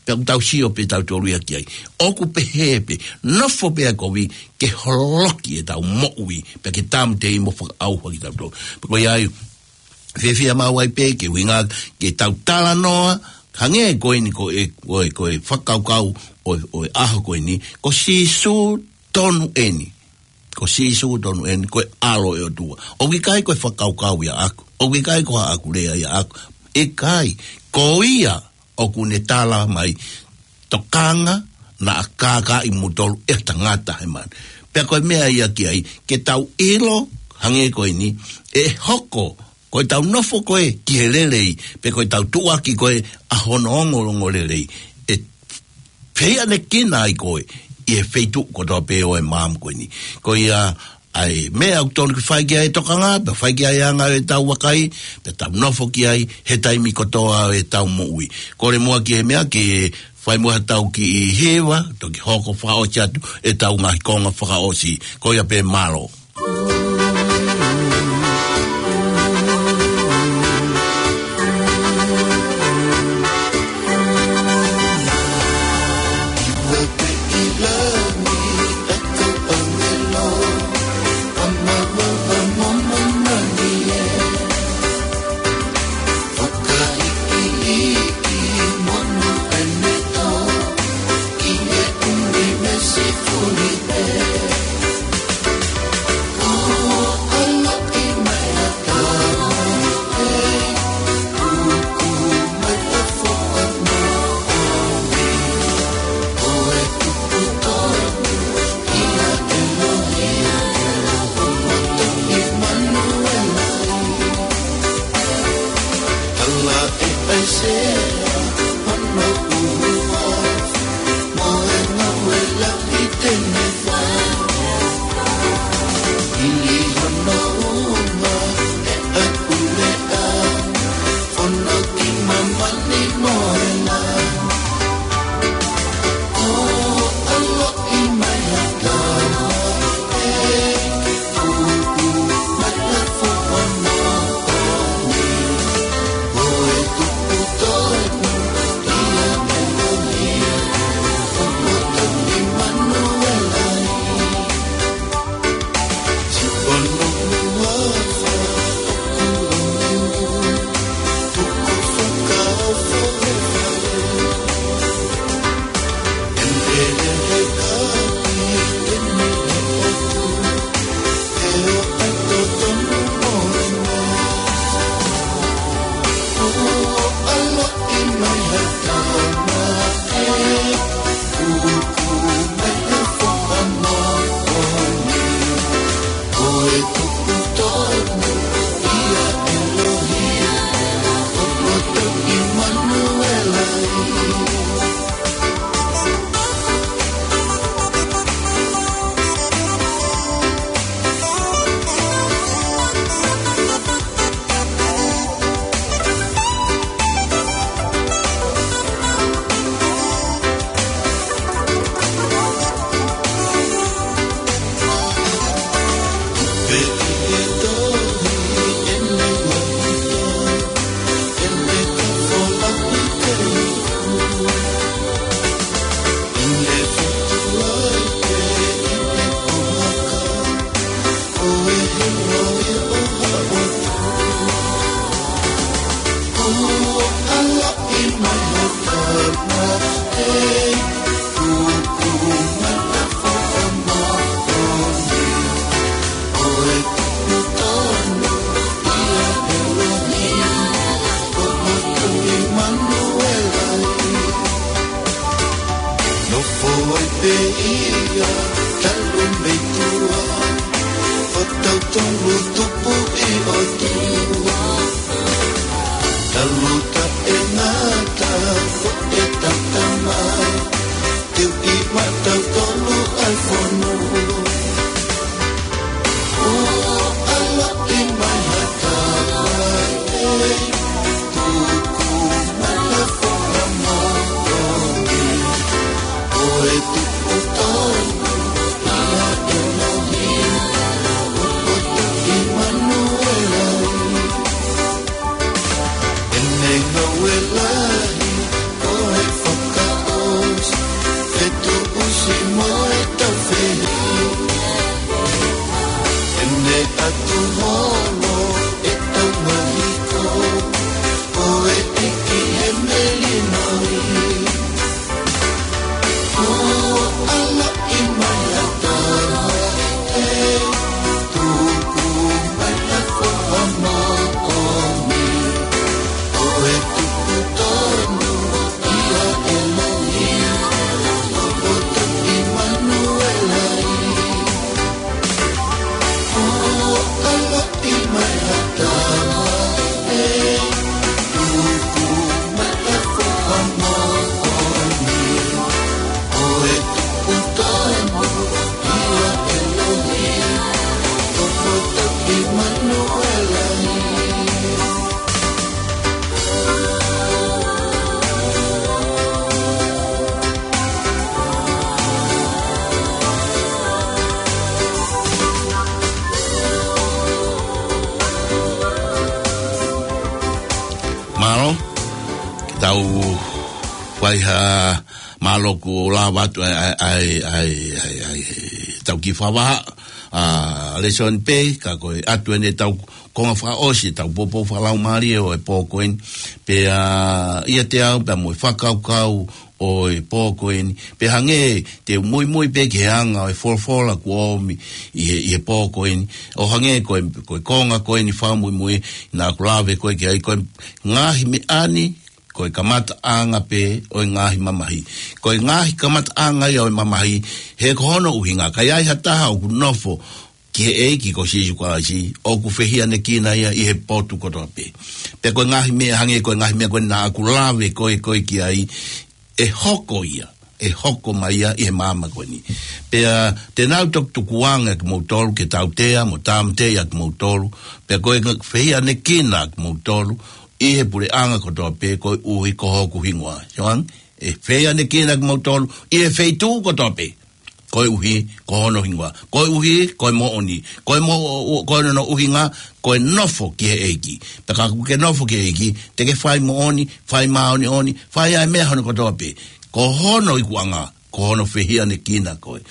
Pea ʻoku tau sio pē tautolu ia ki ai. ʻOku pehē pē, nofo pē ʻa e kovi ke holoki ʻetau moʻui, pea ke tāmateʻi mo fakaʻauha kitautolu. Pea ko ia ai, fiefia maʻu ai pē ke ʻuhinga ke tau talanoa, hangē ko eni ko e, ko e, ko e fakakaukau ʻo e, ʻo e ʻaho ko eni, ko Sīsū tonu eni. Ko Sīsū tonu eni, ko e ʻAlo ʻo e ʻOtua. ʻOku ʻikai ko e fakakaukau ia ʻaʻaku. ʻOku ʻikai ko haʻaku lea ia ʻaʻaku. ʻIkai, ko ia ʻoku ne tala mai, tokanga naʻa kākaaʻi kimoutolu ʻe ha tangata he manu. Pea ko e meʻa ia ki ai, ke tau ʻilo, hangē ko eni, ʻe hoko, ko ʻetau nofo ko ē ki he lelei, pe ko ʻetau tuʻuaki ko ē ʻa hono ongoongolelei, ʻe fehiʻanekina ai koe ʻi he feituʻu kotoa pē ʻo e maama ko eni. Ko ia ai meʻa ʻoku tonu ke fai ki ai e tokanga, pea fai ki ai e anga ʻo ʻetau vakai, pea tau nofo ki ai he taimi kotoa ʻo ʻetau moʻui. Kole muʻa ki he meʻa ke fai muʻa ha tau kiʻi hiva, toki hoko fakaʻosi atu ʻetau ngaahi konga fakaʻosi. Ko ia pē, mālō. Nofo ai pē ia, talu mei tuʻa, ʻo tautolu tupu ʻi ʻOtua. Talu taʻengata, ko e tatama, teu ʻi maʻatautolu ʻa e fonu. ʻO ʻaloʻi mai ha tama, tuku mai ha foha moʻoni. Ko e tupu tonu ia ʻa ʻElohim, ʻo Lahi, ko e fakaʻosi, fetuʻusi mo e tau fehiʻa. ʻEne ʻatu holo, ʻetau mahiko, ko e ʻEiki he melino ni. Ua ala i mai ata, e, tuku mai ata foha moʻoni. Ko e tuku tonu ia ʻElohi, ʻo poto ʻImanuela. Mālō, ke tau fai ha mālō kuo lava atu ai, ai, ai, ai, ai, ai, tau kiʻi fakavahaʻa, a, lēsoni pē, ka ko e ʻatu eni ʻetau konga fakaʻosi, ʻetau poupou fakalaumālie ʻo e pō ko eni. Pea, ʻiate au, pea mo e fakakaukau ʻo e pō ko eni. Pea hangē te u muimui pē ki he anga ʻo e folofola kuo ʻomi ʻi he, ʻi he pō ko eni. ʻO hangē ko e, ko e konga ko eni fakamuimui naʻa ku lave ko ē ki ai, ko e ngaahi meʻa ni, ko e kamataʻanga pē ʻo e ngaahi mamahi. Ko e ngaahi kamataʻanga ia ʻo e mamahi, he ko hono ʻuhinga, ka ʻi ai ha taha ʻoku nofo ki he ʻEiki ko Sīsū Kalaisi, ʻoku fehiʻanekina ia ʻi he potu kotoa pē. Pea ko e ngaahi meʻa hangē, ko e ngaahi meʻa ko ē naʻa ku lave ko ē, ko ē ki ai, ʻe hoko ia, ʻe hoko mai ia ʻi he māmani ko eni. Pea te nau toki tukuange kimoutolu ke tautea, mo tāmateʻi kimoutolu, pea ko e fehiʻanekina kimoutolu ʻi he puleʻanga kotoa pē, koeʻuhi ko hoku hingoa. Sioan, ʻe fehiʻanekina kimoutolu ʻi he feituʻu kotoa pē, koeʻuhi ko hono hingoa. Koeʻuhi ko e moʻoni. Ko e mo-, ko hono ʻuhinga, ko e nofo ki he ʻEiki. Pea ka ke nofo ki he ʻEiki, te ke fai moʻoni, fai māʻoniʻoni, fai ʻa e meʻa hono kotoa pē. Ko hono ikuʻanga, ko hono fehiʻanekina koe.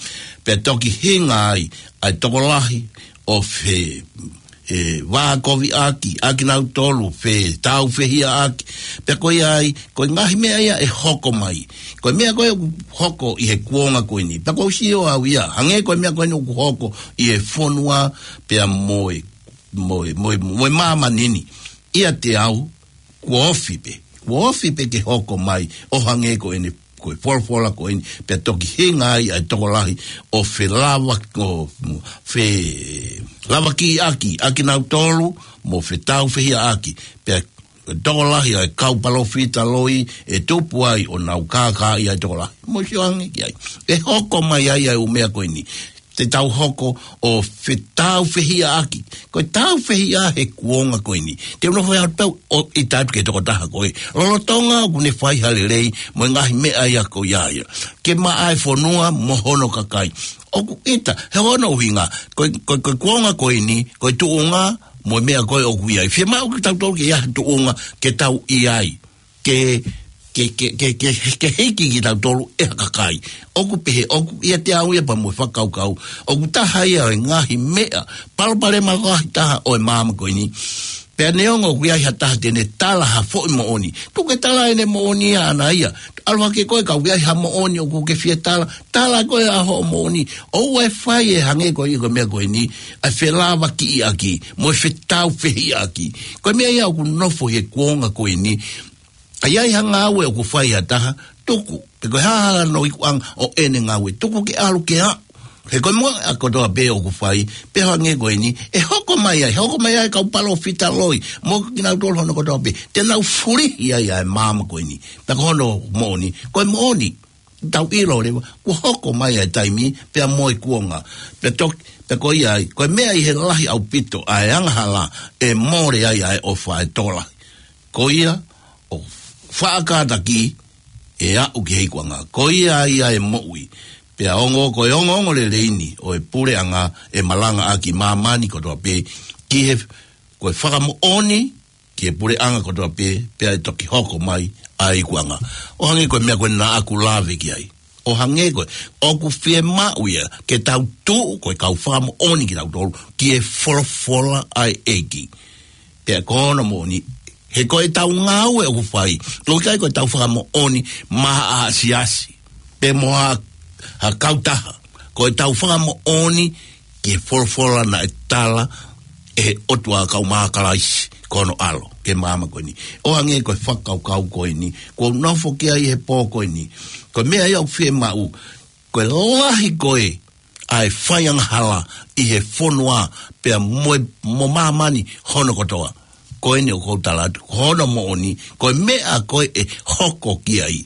Pea toki hinga ai ʻa e tokolahi ʻo fe-, e, vākoviʻaki ʻakinautolu, fetāufehiʻaki. Pea ko ia ai, ko e ngaahi meʻa ia ʻe hoko mai. Ko e meʻa ko ē ʻoku hoko ʻi he kuonga ko eni. Pea ʻoku ou sio au ia, hangē ko e meʻa ko eni ʻoku hoko ʻi he fonua, pea mo e, mo e, mo e, mo e māmani ni. ʻIate au, kuo ofi pē. Kuo ofi pē ke hoko mai ʻo hangē ko eni, ko e folofola ko eni, pea toki hinga ai ʻa e tokolahi ʻo felava-, ʻo felavakiʻaki ʻakinautolu, mo fetāufehiʻaki, pea tokolahi ʻa e kau palōfita loi ʻe tupu ai ʻo nau kākaaʻi ʻa e tokolahi. Mou sio ange ki ai. ʻE hoko mai ai ʻa e ʻū meʻa ko eni. Te tau hoko ʻo fetāufehiʻaki. Ko e tāufehiʻa he kuonga ko eni. Te u nofo ʻi he ʻaho pau ʻo ʻita atu ki he tokotaha ko ē. Lolotonga ʻoku ne fai ha lelei mo e ngaahi meʻa ia ko ia ia. Ke maʻa e fonua mo hono kakai. ʻOku ʻita, he ko hono ʻuhinga. Ko e, ko e, ko e kuonga ko eni, ko e tuʻunga mo e meʻa ko ē ʻoku ʻi ai. Fiemaʻu ke tau tau ke ʻi ai ha tuʻunga ke tau ʻi ai. Ke, ke, ke, ke, ke, ke hiki kitautolu ʻe ha kakai. ʻOku pehē, ʻoku ʻiate au ia pea mo e fakakaukau. ʻOku taha ia ʻo e ngaahi meʻa, palopalema lahi taha ʻo e māmani ko eni. Pea neongo ʻoku ʻi ai ha taha te ne tala ha foʻi moʻoni. Tuku ke tala ʻene moʻoni ia ʻana ia. ʻAlu hake koe ka ʻoku ʻi ai ha moʻoni ʻoku ke fie tala. Tala koe ʻa hoʻo moʻoni. ʻOua ʻe fai ʻe hangē ko ia ko e meʻa ko eni. ʻA e felavakiʻaki. Mo e fetāufehiʻaki. Ko e meʻa ia ʻoku nofo he kuonga ko eni. ʻA ia ʻi ha ngāue ʻoku fai ʻe ha taha, tuku, pe ko e hā hano ikuʻanga ʻo ʻene ngāue, tuku ke ʻalu ke aʻu. He ko e meʻa kotoa pē ʻoku fai, pea hangē ko eni, ʻe hoko mai ai, hoko mai ai kau palōfita loi, mo kinautolu hono kotoa pē, te nau fulihi ai ʻa e māmani ko eni, pea ko hono moʻoni, ko e moʻoni, tau ʻilo leva, kuo hoko mai ʻa e taimi, pea mo e kuonga, pea toki, pea ko ia ai, ko e meʻa ʻi he lahi ʻaupito, ʻa e angahala, ʻe mole ai ʻa e ʻofa ʻa e tokolahi. Ko ia, ʻo faʻa kātaki ʻe aʻu ki he ikuʻanga. Ko ia ia ʻe moʻui. Pea ongo ko e ongoongo lelei ni ʻo e puleʻanga ʻe malangaʻaki māmani kotoa pē ki he ko e fakamoʻoni ki he puleʻanga kotoa pē, pea ʻe toki hoko mai ʻa e ikuʻanga. ʻO hangē ko e meʻa ko ē naʻa ku lave ki ai. ʻO hangē ko ē, ʻoku fiemaʻu ia ke tau tuʻu ko e kau fakamoʻoni kitautolu ki he folofola ʻa e ʻEiki. Pea ko hono moʻoni, he ko ʻetau ngāue ʻoku fai, ʻoku ʻikai ko ʻetau fakamoʻoni maʻa ha siasi pe mo ha, ha kautaha. Ko ʻetau fakamoʻoni ki he folofola naʻe tala ʻe he ʻOtua kau mai ʻa Kalaisi ko hono ʻAlo ki he māmani ko eni. ʻO hangē ko e fakakaukau ko eni kuo u nofo ki ai he pō ko eni. Ko e meʻa ia ʻoku fiemaʻu, ko e lahi ko ē ʻa e faiangahala ʻi he fonua pea mo e, mo māmani hono kotoa. Ko eni ʻoku ou tala atu, ko hono moʻoni, ko e meʻa ko ē ʻe hoko ki ai.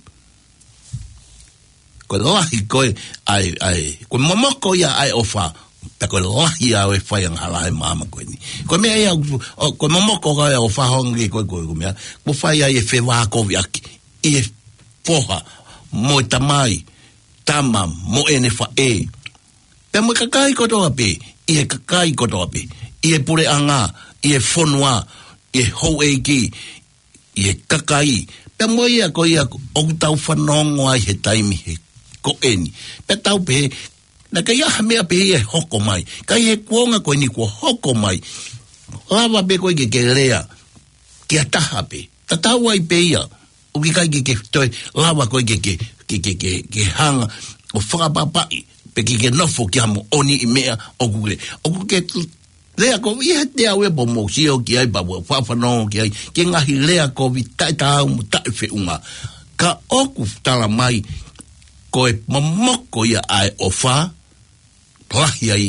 Ko e lahi ko ē ʻa e, ʻa e, ko e momoko ia ʻa e ʻofa, pea ko e lahi ia ʻo e faiangahala he māmani ko eni. Ko e meʻa ia, ʻo, ko e momoko ko ē ʻa e ʻofa, ʻo hangē ko e, ko e, ko e meʻa, kuo fai ai e fevākoviʻaki ʻi he foha mo e tamai, tama mo ʻene faʻē. Pea mo e kakai kotoa pē, ʻi he kakai kotoa pē, ʻi he puleʻanga, ʻi he fonua, ʻi he houʻeiki, ʻi he kakai. Pea mo ia ko ia ʻoku tau fanongo ai he taimi he ko eni. Pea tau pehē, naʻe ʻikai ha meʻa pehē ia ʻe hoko mai. Ka ʻi he kuonga ko eni kuo hoko mai, lava pē koe ke ke lea ki ha taha pē. Tatau ai pē ia. ʻOku ʻikai ke, ke toe lava koe ke, ke, ke, ke, ke, ke hanga ʻo fakapapaʻi, pe ke, ke nofo ki ha moʻoniʻi meʻa ʻoku ke, ʻoku ke lea kovi, ʻi he te au e po mo sio ki ai, pa mo fafanongo ki ai, ki he ngaahi lea kovi, taʻetaau mo taʻefeʻunga. Ka ʻoku tala mai, ko e momoko ia ʻa e ʻofa, lahi ai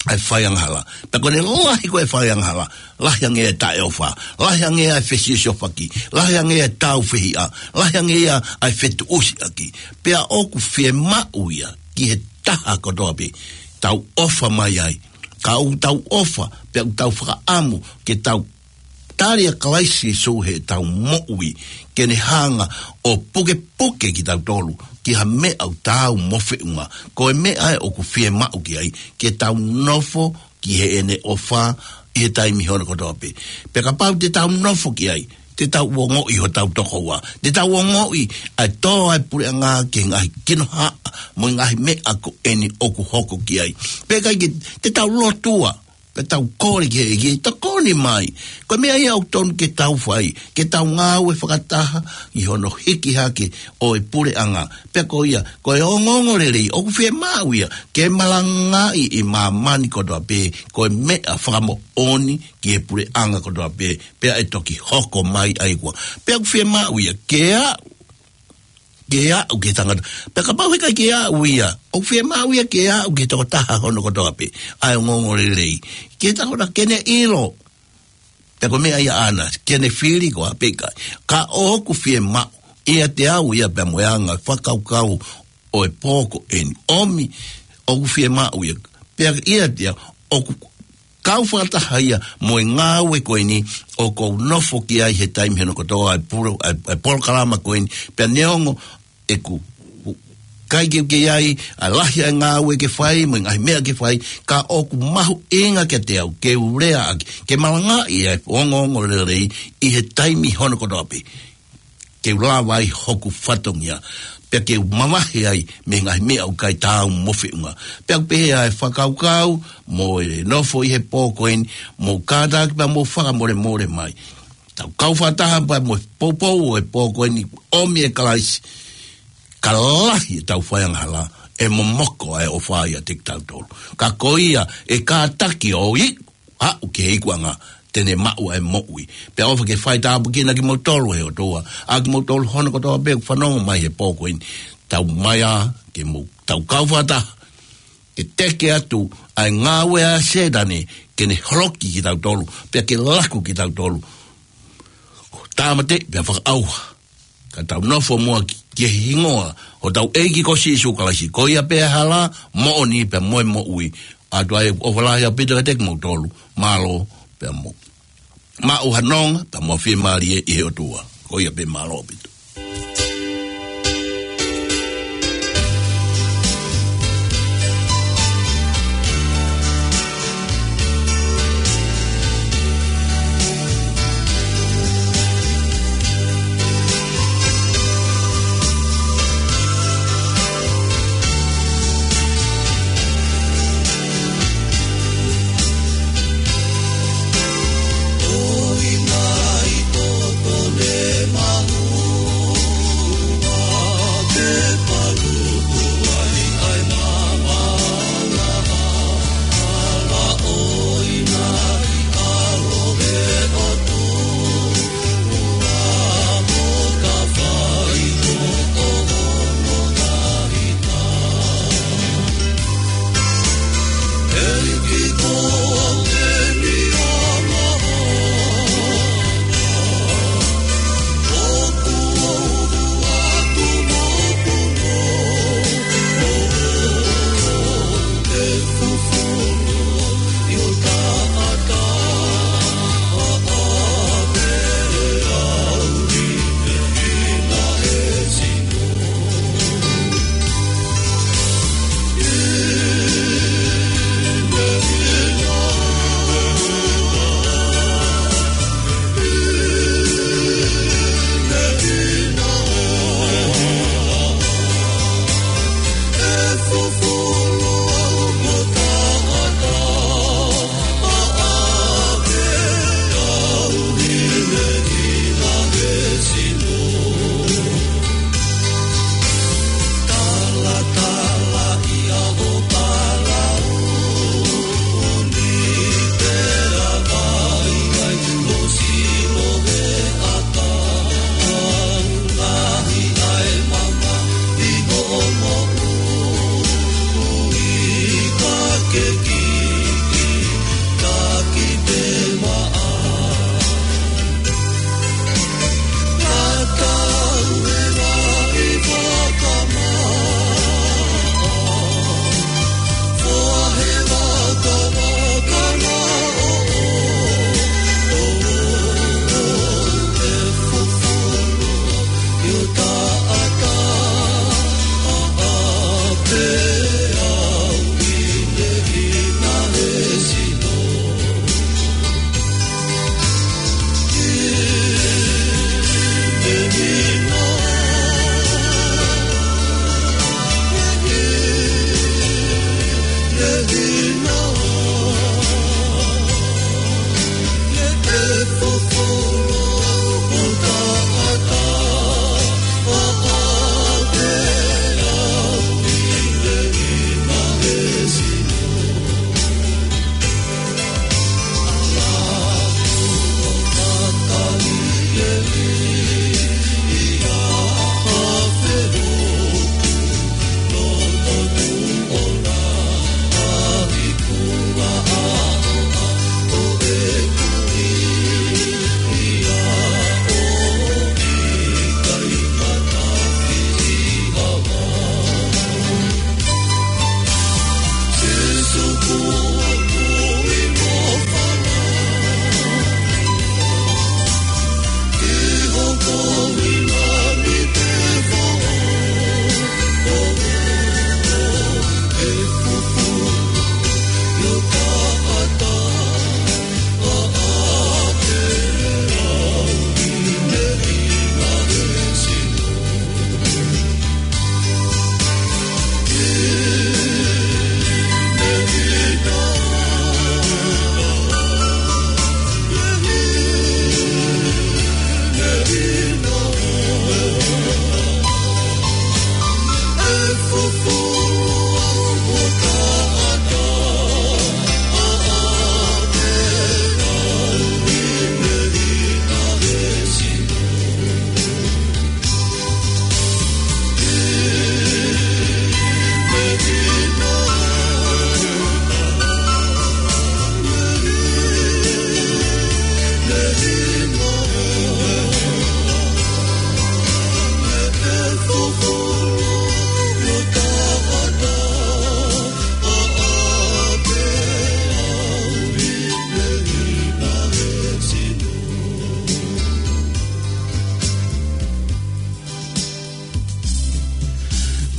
ʻa e faiangahala. Pea ko ʻene lahi ko ē faiangahala, lahi ange e taʻeʻofa, lahi ange e fesiosiofaki, lahi ange e tāufehiʻa, lahi ange ia ʻa e fetuʻusiʻaki. Pea ʻoku fiemaʻu ia ki he taha kotoa pē, tau ʻofa mai ai. Ka ʻoku tau ʻofa, pea ʻoku tau fakaʻamu ke tau tali ʻa Kalaisi Sīsū heʻetau moʻui, ke ne hanga ʻo pukepuke kitautolu ki ha meʻa ʻoku taau mo feʻunga. Ko e meʻa ē ʻoku fiemaʻu ki ai, ke tau nofo ki heʻene ʻofa ʻi he taimi hono kotoa pē. Pea kapau te tau nofo ki ai, te tau ongoʻi hotau tokoua, te tau ongoʻi ʻa e tō ʻa e puleʻanga ki he ngaahi kinohaʻa mo e ngaahi meʻa ko eni ʻoku hoko ki ai. Pea ʻikai ke, te tau lotua, pea tau kole ki he ʻEiki, tokoni mai. Ko e meʻa ia ʻoku tonu ke tau fai, ke tau ngāue fakataha ʻi hono hiki hake ʻo e puleʻanga. Pea ko ia, ko e ongoongolelei, ʻoku fiemaʻu ia ke malangaʻi ʻi māmani kotoa pē, ko e meʻa fakamoʻoni ki he puleʻanga kotoa pē, pea ʻe toki hoko mai ʻa e ikuʻanga. Pea ʻoku fiemaʻu ia ke aʻu ke aʻu ki he tangata. Pea kapau heʻikai ke aʻu ia, ʻoku fiemaʻu ia ke aʻu ki he tokotaha hono kotoa pē ʻa e ongoongolelei. Ke tau na ke ne ʻilo, pea ko e meʻa ia ʻaʻana, ke ne fili koā pe ʻikai. Ka ʻoku fiemaʻu ia te au ia pea mo e anga fakakaukau ʻo e pō ko eni. ʻOmi, ʻoku fiemaʻu ia. Pea ia te au, ʻoku kau fakataha ia mo e ngāue ko eni ʻoku ou nofo ki ai he taimi hono kotoa, ʻa e polo-, ʻa e, ʻa e polokalama ko eni, pea neongo ʻeku ʻikai ke, ke ʻi ai ʻa e lahi ʻa e ngāue ke fai, mo e ngaahi meʻa ke fai, ka ʻoku mahuʻinga kiate au ke u leaʻaki, ke malangaʻi ʻa e ongoongolelei ʻi he taimi hono kotoa pē. Ke u lava ai hoku fatongia, pea ke u mavahe ai mei he ngaahi meʻa ʻoku ʻikai taau mo feʻunga. Pea ʻoku pehē ʻa e fakakaukau mo e nofo ʻi he pō ko eni, mou kātaki pea mou fakamolemole mai. Tau kau fakataha pea mo e poupou ʻo e pō ko eni, ʻomi ʻe Kalaisi, ka lahi ʻetau faiangahala, ʻe momoko ʻa e ʻofa ʻiate kitautolu. Ka ko ia ʻe kātaki ʻo iku, aʻu ki he ikuʻanga, te ne maʻu ʻa e moʻui. Pea ʻofa ke fai tāpuekina kimoutolu ʻe he ʻOtua, ʻa kimoutolu hono kotoa pē ʻoku fanongo mai he pō ko eni. Tau mai ā, ke mou, tau kau fakataha, ke teke atu ʻa e ngāue ʻa Sētane, ke ne holoki kitautolu, pea ke laku kitautolu. Tāmate, pea fakaʻauha. Ka tau nofo muʻa ki, ki he hingoa ʻo hotau ʻEiki ko Sīsū Kalaisi, ko ia pē ʻa e hala, moʻoni pea mo e moʻui. ʻOatu ʻa e ʻofa lahi ʻaupito kiate kimoutolu. Mālō, pea mou maʻu ha nonga, pea mo e fiemālie ʻi he ʻOtua. Ko ia pē, mālō ʻaupito.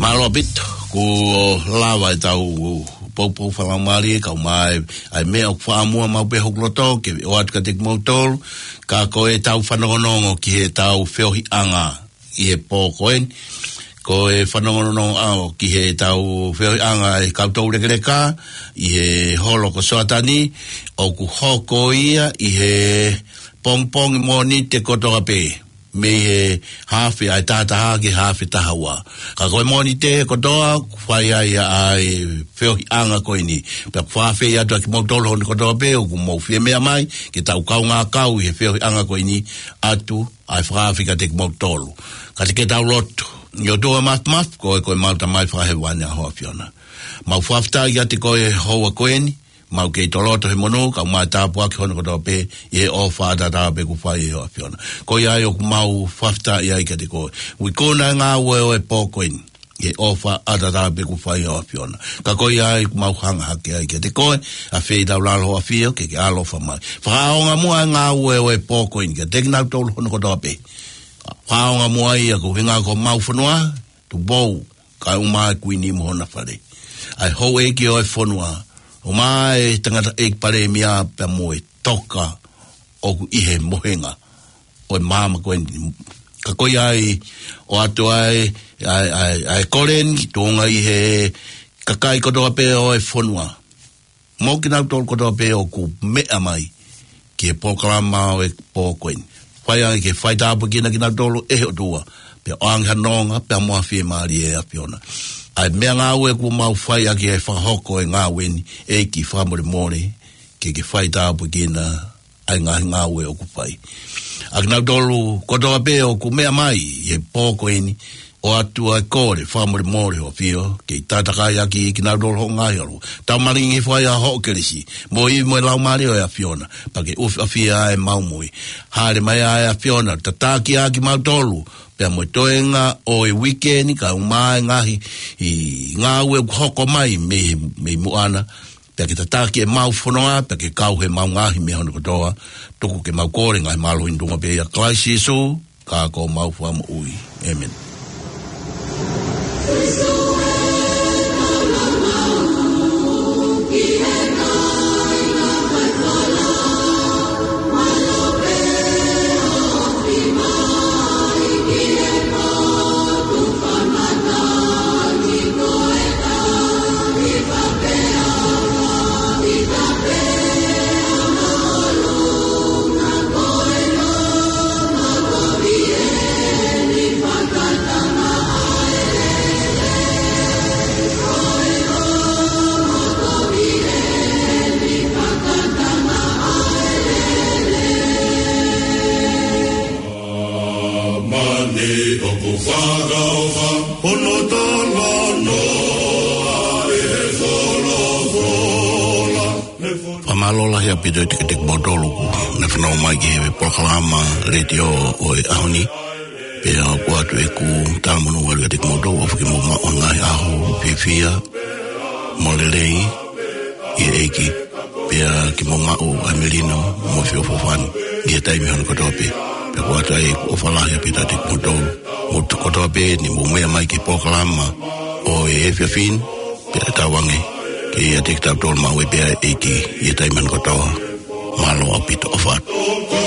Mālō ʻaupito, kuo lava ʻetau poupou fakalaumālie, kae ʻumaʻā ʻa e meʻa ʻoku faʻa muʻa maʻu pē hoku loto ke ʻoatu kiate kimoutolu, ka ko ʻetau fanongonongo ki heʻetau feohiʻanga ʻi he pō ko eni. Ko e fanongonongo ʻaʻau ki heʻetau feohiʻanga ʻa e kau toulekeleka ʻi he holo ko Soatani, ʻoku hoko ia ʻi he pongipongi Mōnite kotoa pē, mei he haafe ʻa e taha taha ki he haafe taha ua. Ka ko e Mōnite kotoa, ʻoku fai ai ʻa e feohiʻanga ko eni. Pea ʻoku fakaafeʻi atu ʻa kimoutolu hono kotoa pē ʻoku mou fie meʻa mai ke tau kaungā kau ʻi he feohiʻanga ko eni, ʻoatu ʻa e fakaafe kiate kimoutolu. Ka te ke tau lotu. ʻE ʻOtua Māfimafi, ko e, ko ʻemau Tamai Fakahēvani, ʻa Hoʻo ʻAfiona, mau fakafetaʻi kiate koe he houa ko eni, mau kei toloto he monū, kae ʻumaʻā e tāpuaki hono kotoa pē, ʻi he ʻofa ʻataʻatā pē kuo fai ʻe Hoʻo ʻAfiona. Ko ia ai ʻoku mau fakafetaʻi ai kiate koe. Ui kona e ngāue ʻo e pō ko eni, ʻi he ʻofa ʻataʻatā pē kuo fai ʻe Hoʻo ʻAfiona. Ka ko ia ai ʻoku mau hanga hake ai kiate koe, ʻafeʻi ʻi taulalo Hoʻo ʻAfio ke ke ʻaloʻofa mai. Fakaʻaonga muʻa e ngāue ʻo e pō ko eni kiate kinautolu hono kotoa pē. Fakaʻaonga muʻa ia ko e ʻuhinga ko homau fonua, Tupou, kae ʻumaʻā e Kuini mo hona fale. ʻA e houʻeiki ʻo e fonua, ʻumaʻā e tangataʻeiki palēmia pea mo e toka ʻoku ʻi he mohenga ʻo e māmani ko eni. Ka ko ia ai, ʻoatu ai ʻa e, ʻa e, ʻa e kole ni, tuʻunga ʻi he kakai kotoa pē ʻo e fonua, mo kinautolu kotoa pē ʻoku meʻa mai ki he polokalama ʻo e pō ko eni. Fai ange ke faitāpuekina kinautolu ʻe he ʻOtua, pea ʻoange ha nonga, pea mo ha fiemālie, ʻe ʻAfiona. ʻA e meʻangāue kuo mau fai ʻaki e fakahoko e ngāue ni, ʻEiki, fakamolemole ke ke faitāpuekina ʻa e ngaahi ngāue ʻoku fai. ʻA kinautolu kotoa pē ʻoku meʻa mai ʻi he pō ko eni, ʻoatu ʻa e kole fakamolemole Hoʻo ʻAfio, ke ke tataki ʻaki kinautolu hoʻo ngaahi ʻAlo. Tau malingi fai ʻa hoʻo kelesi, mo e ivi mo e laumālie ʻo e ʻAfiona, pea ke ʻufiʻafia ʻa ʻemau moʻui. Hāʻele mai ʻa e ʻAfiona, tataki ʻa kimautolu, pea mo e toenga ʻo e uike ni kae ʻumaʻā e ngaahi ngāue ʻoku hoko mai mei, mei muʻa na, pea ke tataki ʻemau fonua, pea ke kau heʻemau ngaahi meʻa hono kotoa. Tuku ke mau kole ngaahi mālohi ni tuʻunga pē ʻia Kalaisi Sīsū, ka ko homau Fakamoʻui. ʻĒmeni. Mani ʻoku fakaʻofa, hono talanoa ʻi he folofola. Fakamālō lahi ʻaupito kiate kimoutolu kuo ne fanongo mai ki he polokalama letiō ʻo e ʻaho ni. Pea ʻoku ʻoatu ʻeku talamonū atu kiate kimoutolu ʻofa ke mou maʻu ha ngaahi ʻaho fiefia mo lelei ʻi he ʻEiki. Pea ke mou maʻu ʻa e melino mo e feʻofoʻofani ʻi he taimi hono kotoa pē. Pea ʻoku ʻoatu ai ʻeku ʻofa lahi ʻaupito kiate kimoutolu. Mou tuʻu kotoa pē ni mou meʻa mai ki he polokalama ʻo e efiafi ni, pea tauange ke ʻiate kitautolu maʻu ai pē ʻa e ʻEiki ʻi he taimi hono kotoa. Mālō ʻaupito, ʻofa atu.